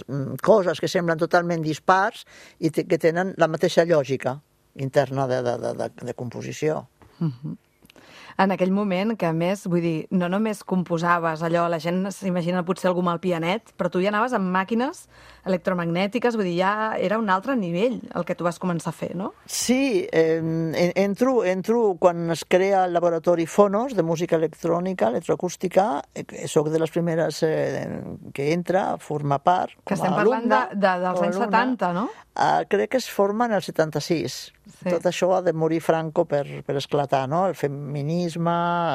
C: coses que semblen totalment dispars i que tenen la mateixa lògica interna de, de, de, de, de composició.
A: Uh-huh. En aquell moment, que a més, vull dir, no només composaves allò, la gent s'imagina potser algú amb el pianet, però tu ja anaves amb màquines electromagnètiques, vull dir, ja era un altre nivell el que tu vas començar a fer, no?
C: Sí, eh, entro, entro quan es crea el laboratori Fonos de música electrònica, electroacústica, eh, soc de les primeres eh, que entra, forma part, com
A: que estem
C: a
A: parlant
C: alumna,
A: de, de, dels anys setanta, no?
C: Uh, crec que es forma en el setanta-sis. Sí. Tot això ha de morir Franco per, per esclatar, no? El feminisme,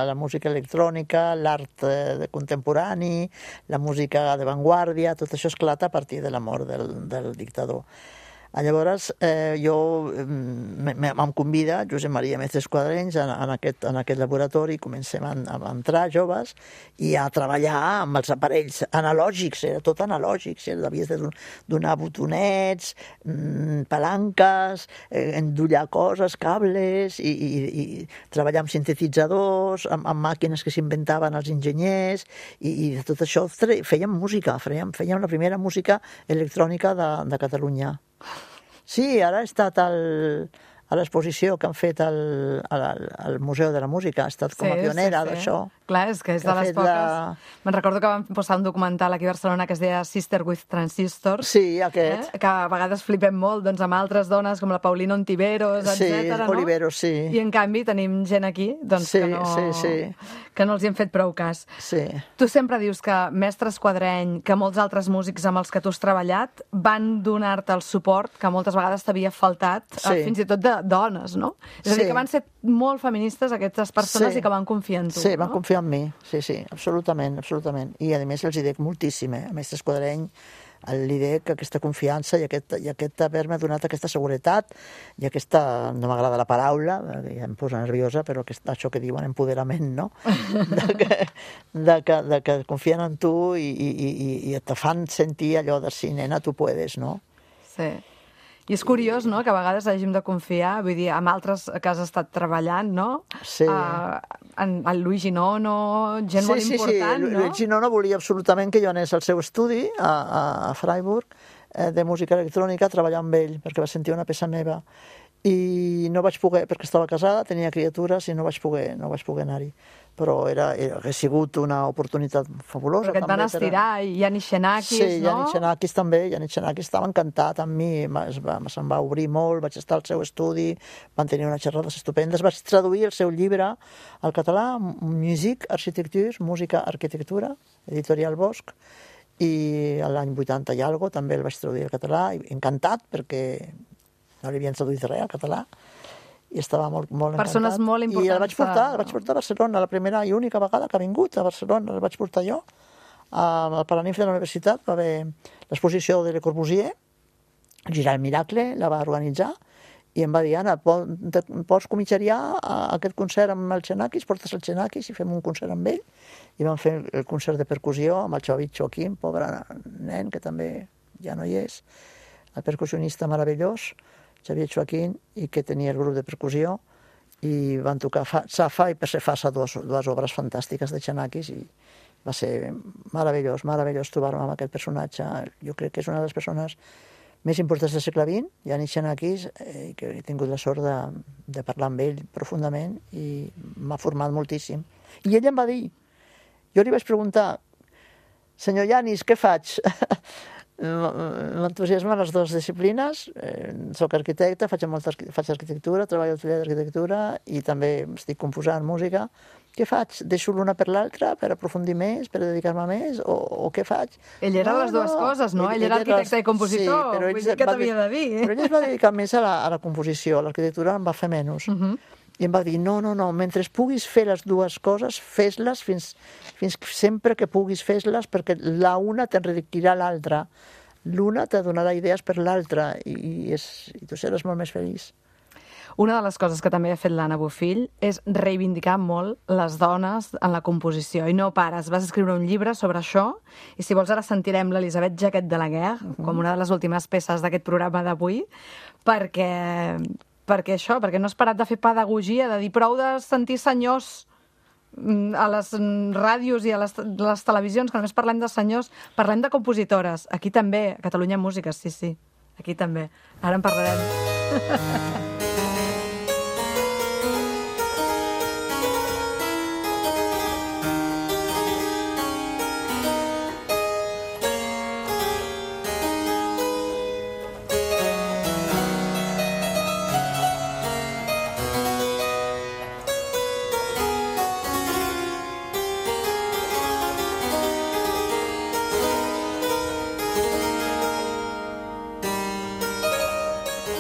C: la música electrònica, l'art eh, contemporani, la música d'avantguàrdia, tot això esclata a partir de la mort del, del dictador. Llavors, eh, jo em convida Josep Maria Mestres Quadrenys en, en, aquest, en aquest laboratori, comencem a, a entrar joves i a treballar amb els aparells analògics, era tot analògic, havies de donar botonets, palanques, eh, endollar coses, cables, i, i, i treballar amb sintetitzadors, amb, amb màquines que s'inventaven els enginyers, i, i de tot això fèiem música, fèiem, fèiem la primera música electrònica de, de Catalunya. Sí, ara he estat al, a l'exposició que han fet al, al, al Museu de la Música, ha estat com a pionera sí, sí, sí. d'això.
A: Clar, és que és que de les poques... La... Me'n recordo que vam posar un documental aquí a Barcelona que es deia Sister with Transistors.
C: Sí, aquest.
A: Eh? Que a vegades flipem molt doncs, amb altres dones com la Paulina Ontiveros, etcètera.
C: Sí, Oliveros, sí.
A: I en canvi tenim gent aquí doncs,
C: sí,
A: que, no,
C: sí, sí.
A: que no els hi hem fet prou cas.
C: Sí.
A: Tu sempre dius que Mestres Quadreny, que molts altres músics amb els que tu has treballat, van donar-te el suport que moltes vegades t'havia faltat, sí. fins i tot de dones, no? És a dir, sí. que van ser molt feministes aquestes persones sí. i que van confiar en tu.
C: Sí,
A: no?
C: van confiar en mi, sí, sí, absolutament, absolutament. I a més els hi dec moltíssim, eh? A Mestres Quadreny li dec aquesta confiança i aquest, i aquest haver-me donat aquesta seguretat i aquesta, no m'agrada la paraula, ja em posa nerviosa, però aquest, això que diuen empoderament, no? De que, de que, de que confien en tu i, i, i, i te fan sentir allò de sí, nena, tu puedes, no?
A: Sí. I és curiós, no?, que a vegades hàgim de confiar, vull dir, amb altres que has estat treballant, no?
C: Sí.
A: Uh, en, en Luigi Nono, gent
C: sí,
A: molt
C: sí,
A: important,
C: sí.
A: no?
C: Luigi Nono volia absolutament que jo anés al seu estudi a, a, a Freiburg eh, de música electrònica a treballar amb ell, perquè va sentir una peça meva. I no vaig poder, perquè estava casada, tenia criatures i no vaig poder, no vaig poder anar-hi. Però era, era, ha sigut una oportunitat fabulosa.
A: Perquè et van estirar, i Yanis Xenakis,
C: sí,
A: no?
C: Sí, Yanis Xenakis també, Yanis Xenakis estava encantat amb mi, se'm va obrir molt, vaig estar al seu estudi, van tenir unes xerrades estupendes, vaig traduir el seu llibre al català, Musique, Architecture, Música, Arquitectura, editorial Bosch, i l'any vuitanta i algo també el vaig traduir al català, encantat, perquè no li havien traduït res al català, i estava molt, molt encantat.
A: Persones molt importants.
C: I el vaig portar, el vaig portar a Barcelona, la primera i única vegada que ha vingut a Barcelona, el vaig portar jo. Al Paranimf de la Universitat va haver l'exposició de Le Corbusier, Girar el Miracle, la va organitzar, i em va dir, Anna, pots comitjariar aquest concert amb el Xenakis, portes el Xenakis i fem un concert amb ell. I vam fer el concert de percussió amb el Xavi Joaquim, pobre nen, que també ja no hi és, el percussionista meravellós, Xavier Joaquín, i que tenia el grup de percussió, i van tocar Safa i Persefassa, dues, dues obres fantàstiques de Xenakis, i va ser meravellós, meravellós trobar-me amb aquest personatge. Jo crec que és una de les persones més importants del segle vint, Yanis Xenakis, eh, que he tingut la sort de, de parlar amb ell profundament, i m'ha format moltíssim. I ell em va dir, jo li vaig preguntar, senyor Yanis, què faig? M'entusiasmen les dues disciplines, eh, soc arquitecte, faig, molta, faig arquitectura, treballo al taller d'arquitectura i també estic composant música. Què faig? Deixo l'una per l'altra per aprofundir més, per dedicar-me més, o, o què faig?
A: Ell era
C: no,
A: les dues
C: no.
A: coses, no? Ell,
C: Ell
A: era arquitecte
C: les...
A: i compositor,
C: sí, però
A: vull dir que t'havia de dir.
C: Però ell es va dedicar més a la, a la composició, l'arquitectura em va fer menys. Uh -huh. I em va dir, no, no, no, mentre puguis fer les dues coses, fes-les fins, fins sempre que puguis fes-les, perquè la una t'enriquirà l'altra. L'una te donarà idees per l'altra i, és, i tu seràs molt més feliç.
A: Una de les coses que també ha fet l'Anna Bofill és reivindicar molt les dones en la composició. I no pares, vas escriure un llibre sobre això, i si vols ara sentirem l'Elisabet Jaquet de la Guerre, uh -huh. com una de les últimes peces d'aquest programa d'avui, perquè... perquè això, perquè no has parat de fer pedagogia, de dir prou de sentir senyors a les ràdios i a les, les televisions, que només parlem de senyors, parlem de compositores. Aquí també, a Catalunya Música, sí, sí, aquí també. Ara en parlarem.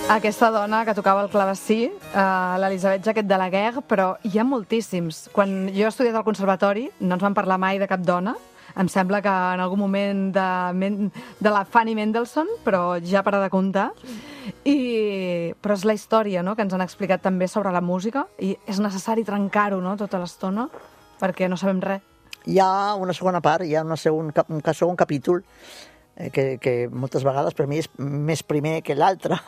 A: Aquesta dona que tocava el clavecí, uh, l'Elisabet Jaquet de la Guerre, però hi ha moltíssims. Quan jo he estudiat al conservatori no ens van parlar mai de cap dona. Em sembla que en algun moment de, Men- de la Fanny Mendelssohn, però ja para de comptar. I... Però és la història, no?, que ens han explicat també sobre la música, i és necessari trencar-ho, no?, tota l'estona, perquè no sabem res.
C: Hi ha una segona part, hi ha una segon, cap- un ca- segon capítol eh, que, que moltes vegades per mi és més primer que l'altre.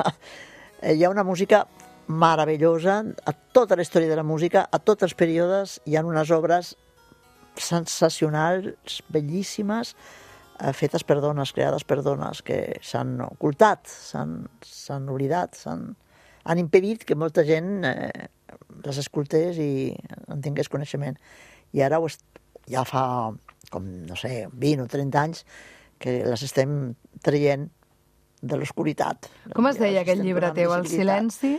C: Eh, hi ha una música meravellosa, a tota la història de la música, a tots els períodes, hi ha unes obres sensacionals, bellíssimes, eh, fetes per dones, creades per dones, que s'han ocultat, s'han s'han oblidat, s'han han impedit que molta gent eh, les escoltés i en tingués coneixement. I ara ho est... ja fa, com, no sé, vint o trenta anys que les estem traient de l'oscuritat.
A: Com es
C: Ja
A: deia
C: les
A: aquell
C: estem
A: llibre
C: donant
A: teu, El
C: visibilitat.
A: silenci?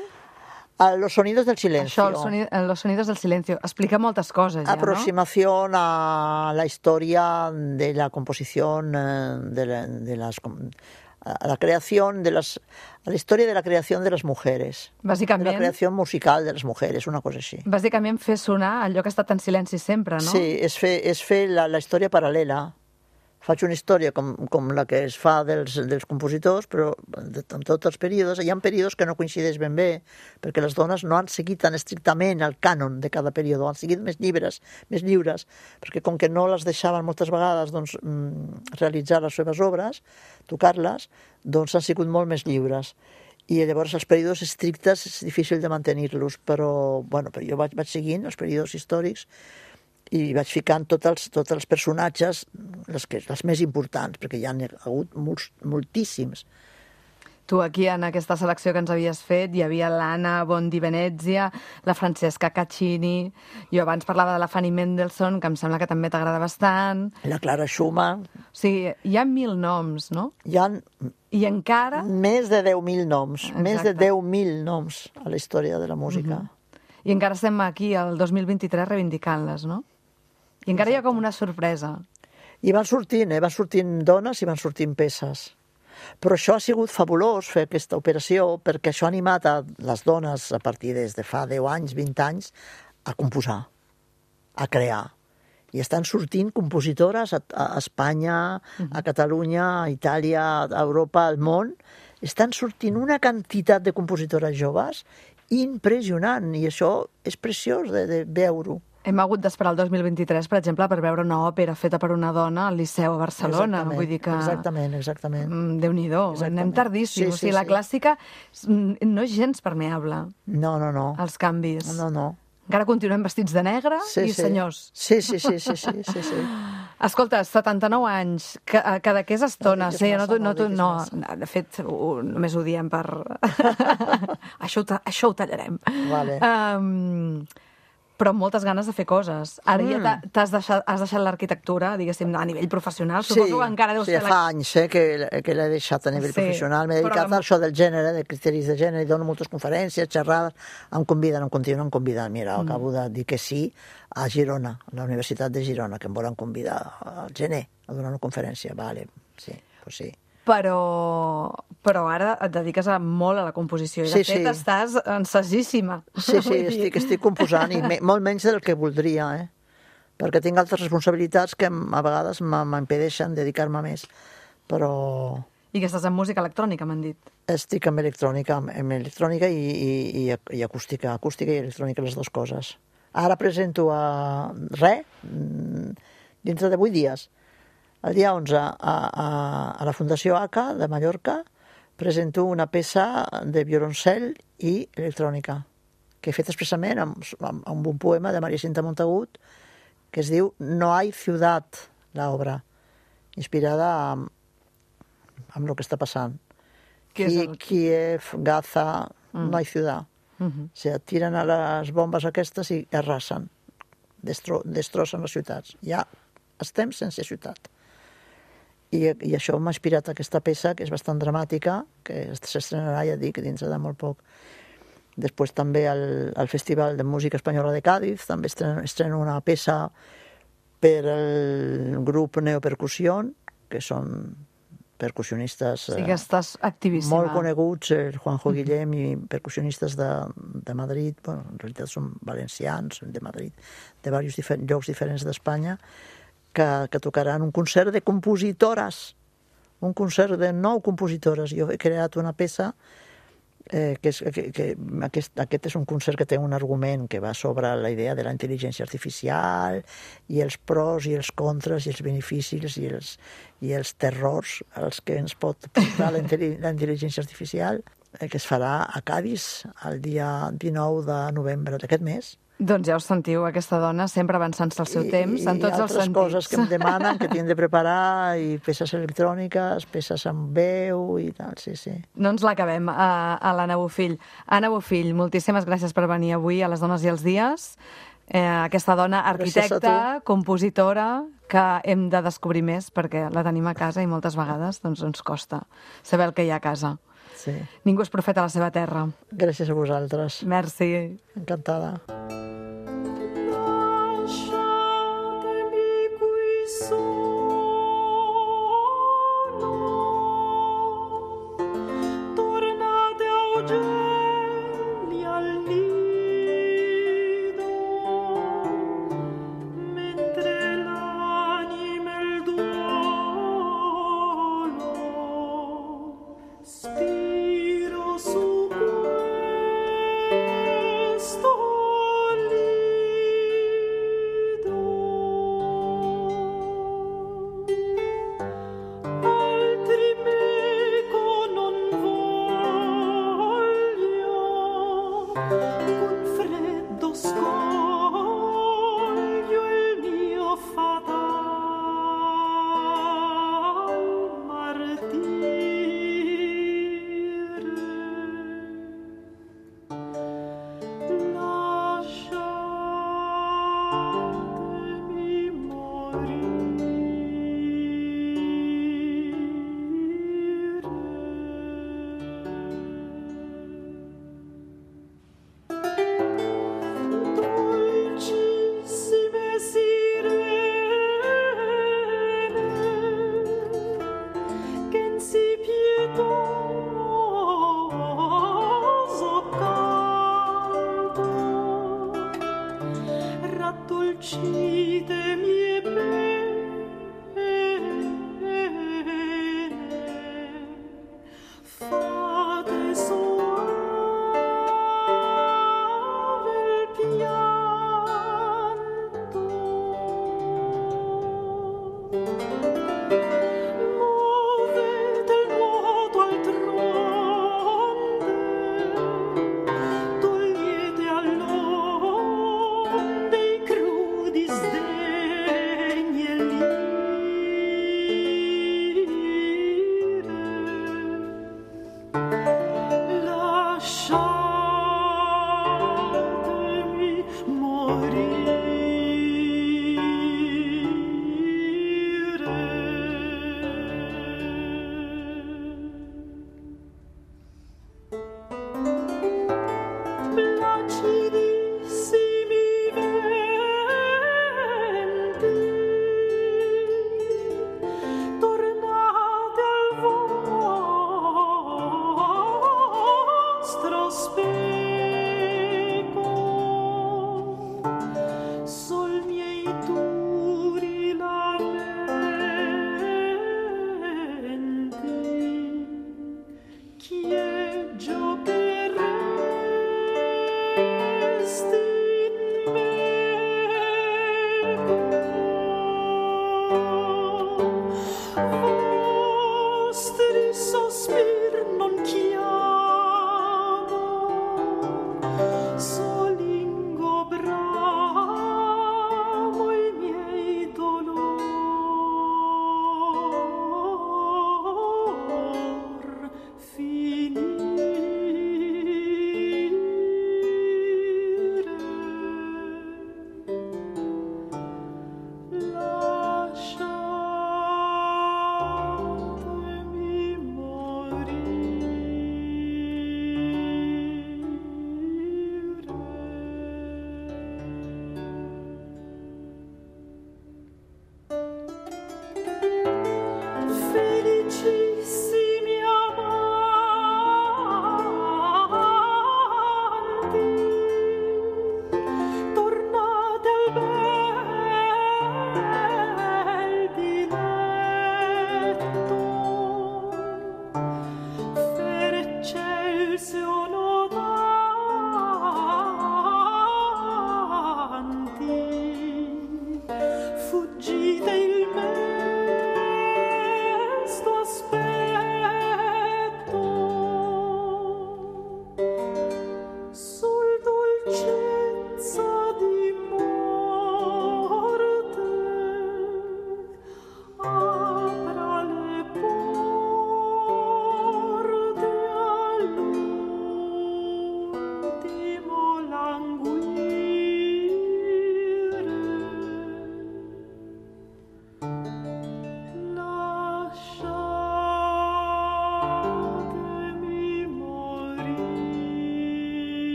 C: Ah, Los sonidos del silencio.
A: Això, el soni- Los sonidos del silencio. Explica moltes coses, ja, no?
C: Aproximación a la historia de la composición, eh, de, la, de las, com- a la creación de las, a la historia de la creación de las mujeres, de la
A: Bàsicament,
C: creación musical de las mujeres, una cosa així.
A: bàsicament fer sonar allò que ha estat en silenci sempre, no?
C: Sí, és fer, és fer la, la història paral·lela. Faig una història com, com la que es fa dels, dels compositors, però de, en tots els períodes. Hi ha períodes que no coincideix ben bé, perquè les dones no han seguit tan estrictament el cànon de cada període, han seguit més llibres, més lliures, perquè com que no les deixaven moltes vegades doncs, realitzar les seves obres, tocar-les, doncs han sigut molt més lliures. I llavors els períodes estrictes és difícil de mantenir-los, però, bueno, però jo vaig, vaig seguint els períodes històrics i vaig ficant tots els, tots els personatges, les, que, les més importants, perquè hi ha hagut molts, moltíssims.
A: Tu aquí, en aquesta selecció que ens havies fet, hi havia l'Anna Bondi Venezia, la Francesca Caccini, jo abans parlava de la Fanny Mendelssohn, que em sembla que també t'agrada bastant.
C: La Clara Schumann.
A: O sigui, hi ha mil noms, no?
C: Hi ha
A: I encara...
C: més de deu mil noms,
A: Exacte.
C: més de deu mil noms a la història de la música.
A: Mm-hmm. I encara estem aquí, el dos mil vint-i-tres, reivindicant-les, no? I encara hi ha com una sorpresa.
C: I van sortint, eh? van sortint dones i van sortint peces. Però això ha sigut fabulós, fer aquesta operació, perquè això ha animat a les dones, a partir des de fa deu anys, vint anys, a composar, a crear. I estan sortint compositores a, a Espanya, a Catalunya, a Itàlia, a Europa, al món. Estan sortint una quantitat de compositores joves impressionant, i això és preciós de, de veure-ho.
A: Hem hagut d'esperar el dos mil vint-i-tres, per exemple, per veure una òpera feta per una dona al Liceu a Barcelona.
C: Exactament,
A: Vull dir que...
C: exactament, exactament.
A: Mm, Déu-n'hi-do,
C: Exactament.
A: anem tardíssim.
C: Sí,
A: O
C: sí,
A: sigui, la
C: sí.
A: clàssica mm, no és gens permeable
C: No, no, no.
A: als canvis.
C: No, no.
A: Encara continuem vestits de negre
C: Sí,
A: i
C: sí.
A: senyors.
C: Sí, sí, sí, sí, sí, sí, sí.
A: Escolta, setanta-nou anys, que, que d'aquesta estona...
C: diguis
A: sí,
C: massa,
A: no, t'ho- no,
C: no
A: t'ho-
C: diguis
A: no,
C: massa.
A: de fet, ho, només ho diem per... això, ho, ta- això ho tallarem.
C: Vale.
A: Um, però amb moltes ganes de fer coses. Ara ja t'ha- t'has deixat, has deixat l'arquitectura, diguéssim, a nivell professional. Suposo que encara deus
C: sí,
A: fer
C: fa anys eh, que, que l'he deixat a nivell
A: Sí,
C: professional. M'he
A: però
C: dedicat
A: la-
C: a això del gènere, de criteris de gènere, i dono moltes conferències, xerrades, em conviden, em continuen convidant. Mira,
A: Mm.
C: acabo de dir que sí a Girona, a la Universitat de Girona, que em volen convidar al gener a donar una conferència. Vale, sí, pues sí.
A: Però, però ara et dediques a, molt a la composició. I de
C: Sí,
A: fet
C: sí.
A: estàs ensagíssima.
C: Sí, sí,
A: Vull dir-
C: estic, estic composant, i me, molt menys del que voldria, eh? Perquè tinc altres responsabilitats que em- a vegades m- m'impedeixen dedicar-me més. Però
A: I que estàs en música electrònica, m'han dit.
C: estic amb electrònica, amb, amb electrònica i, i, i, i acústica, acústica i electrònica, les dues coses. Ara presento a res, mm, dintre de vuit dies. El dia onze, a, a, a la Fundació A C A de Mallorca, presento una peça de violoncel i electrònica, que he fet expressament amb, amb, amb un poema de Maria Cinta Montagut, que es diu No hay ciudad, l'obra, inspirada amb, amb el que està passant.
A: Què és el-
C: Kiev, Gaza,
A: Mm.
C: no hay ciudad.
A: Mhm.
C: O sigui, tiren a les bombes aquestes i arrasen, destro, destrossen les ciutats. Ja estem sense ciutat. I, i això m'ha inspirat aquesta peça, que és bastant dramàtica, que s'estrenarà, ja dic, dins de molt poc. Després també al, al Festival de Música Espanyola de Cádiz, també estreno, estreno una peça per el grup Neopercussió, que són percussionistes
A: Sí que estàs activíssima.
C: molt coneguts, el Juanjo Guillem i percussionistes de, de Madrid, bueno, en realitat són valencians, de Madrid, de diversos difer llocs diferents d'Espanya, que, que tocaran un concert de compositores, un concert de nou compositores. Jo he creat una peça eh, que, és, que, que aquest, aquest és un concert que té un argument que va sobre la idea de la intel·ligència artificial i els pros i els contres i els beneficis i els, i els terrors als que ens pot portar la, la intel·ligència artificial, eh, que es farà a Cadis el dia dinou de novembre d'aquest mes.
A: Doncs ja us sentiu, aquesta dona sempre avançant-se al seu
C: I,
A: temps, en tots els sentits.
C: I altres coses que em demanen, que tinc de preparar, i peces electròniques, peces amb veu i tal, sí, sí.
A: No ens l'acabem, a, a l'Anna Bofill. Anna Bofill, moltíssimes gràcies per venir avui a Les Dones i els Dies. Eh, aquesta dona arquitecta, compositora, que hem de descobrir més perquè la tenim a casa i moltes vegades doncs, ens costa saber el que hi ha a casa.
C: Sí.
A: Ningú és profeta a la seva terra.
C: Gràcies a vosaltres.
A: Merci.
C: Encantada.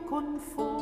E: Conforme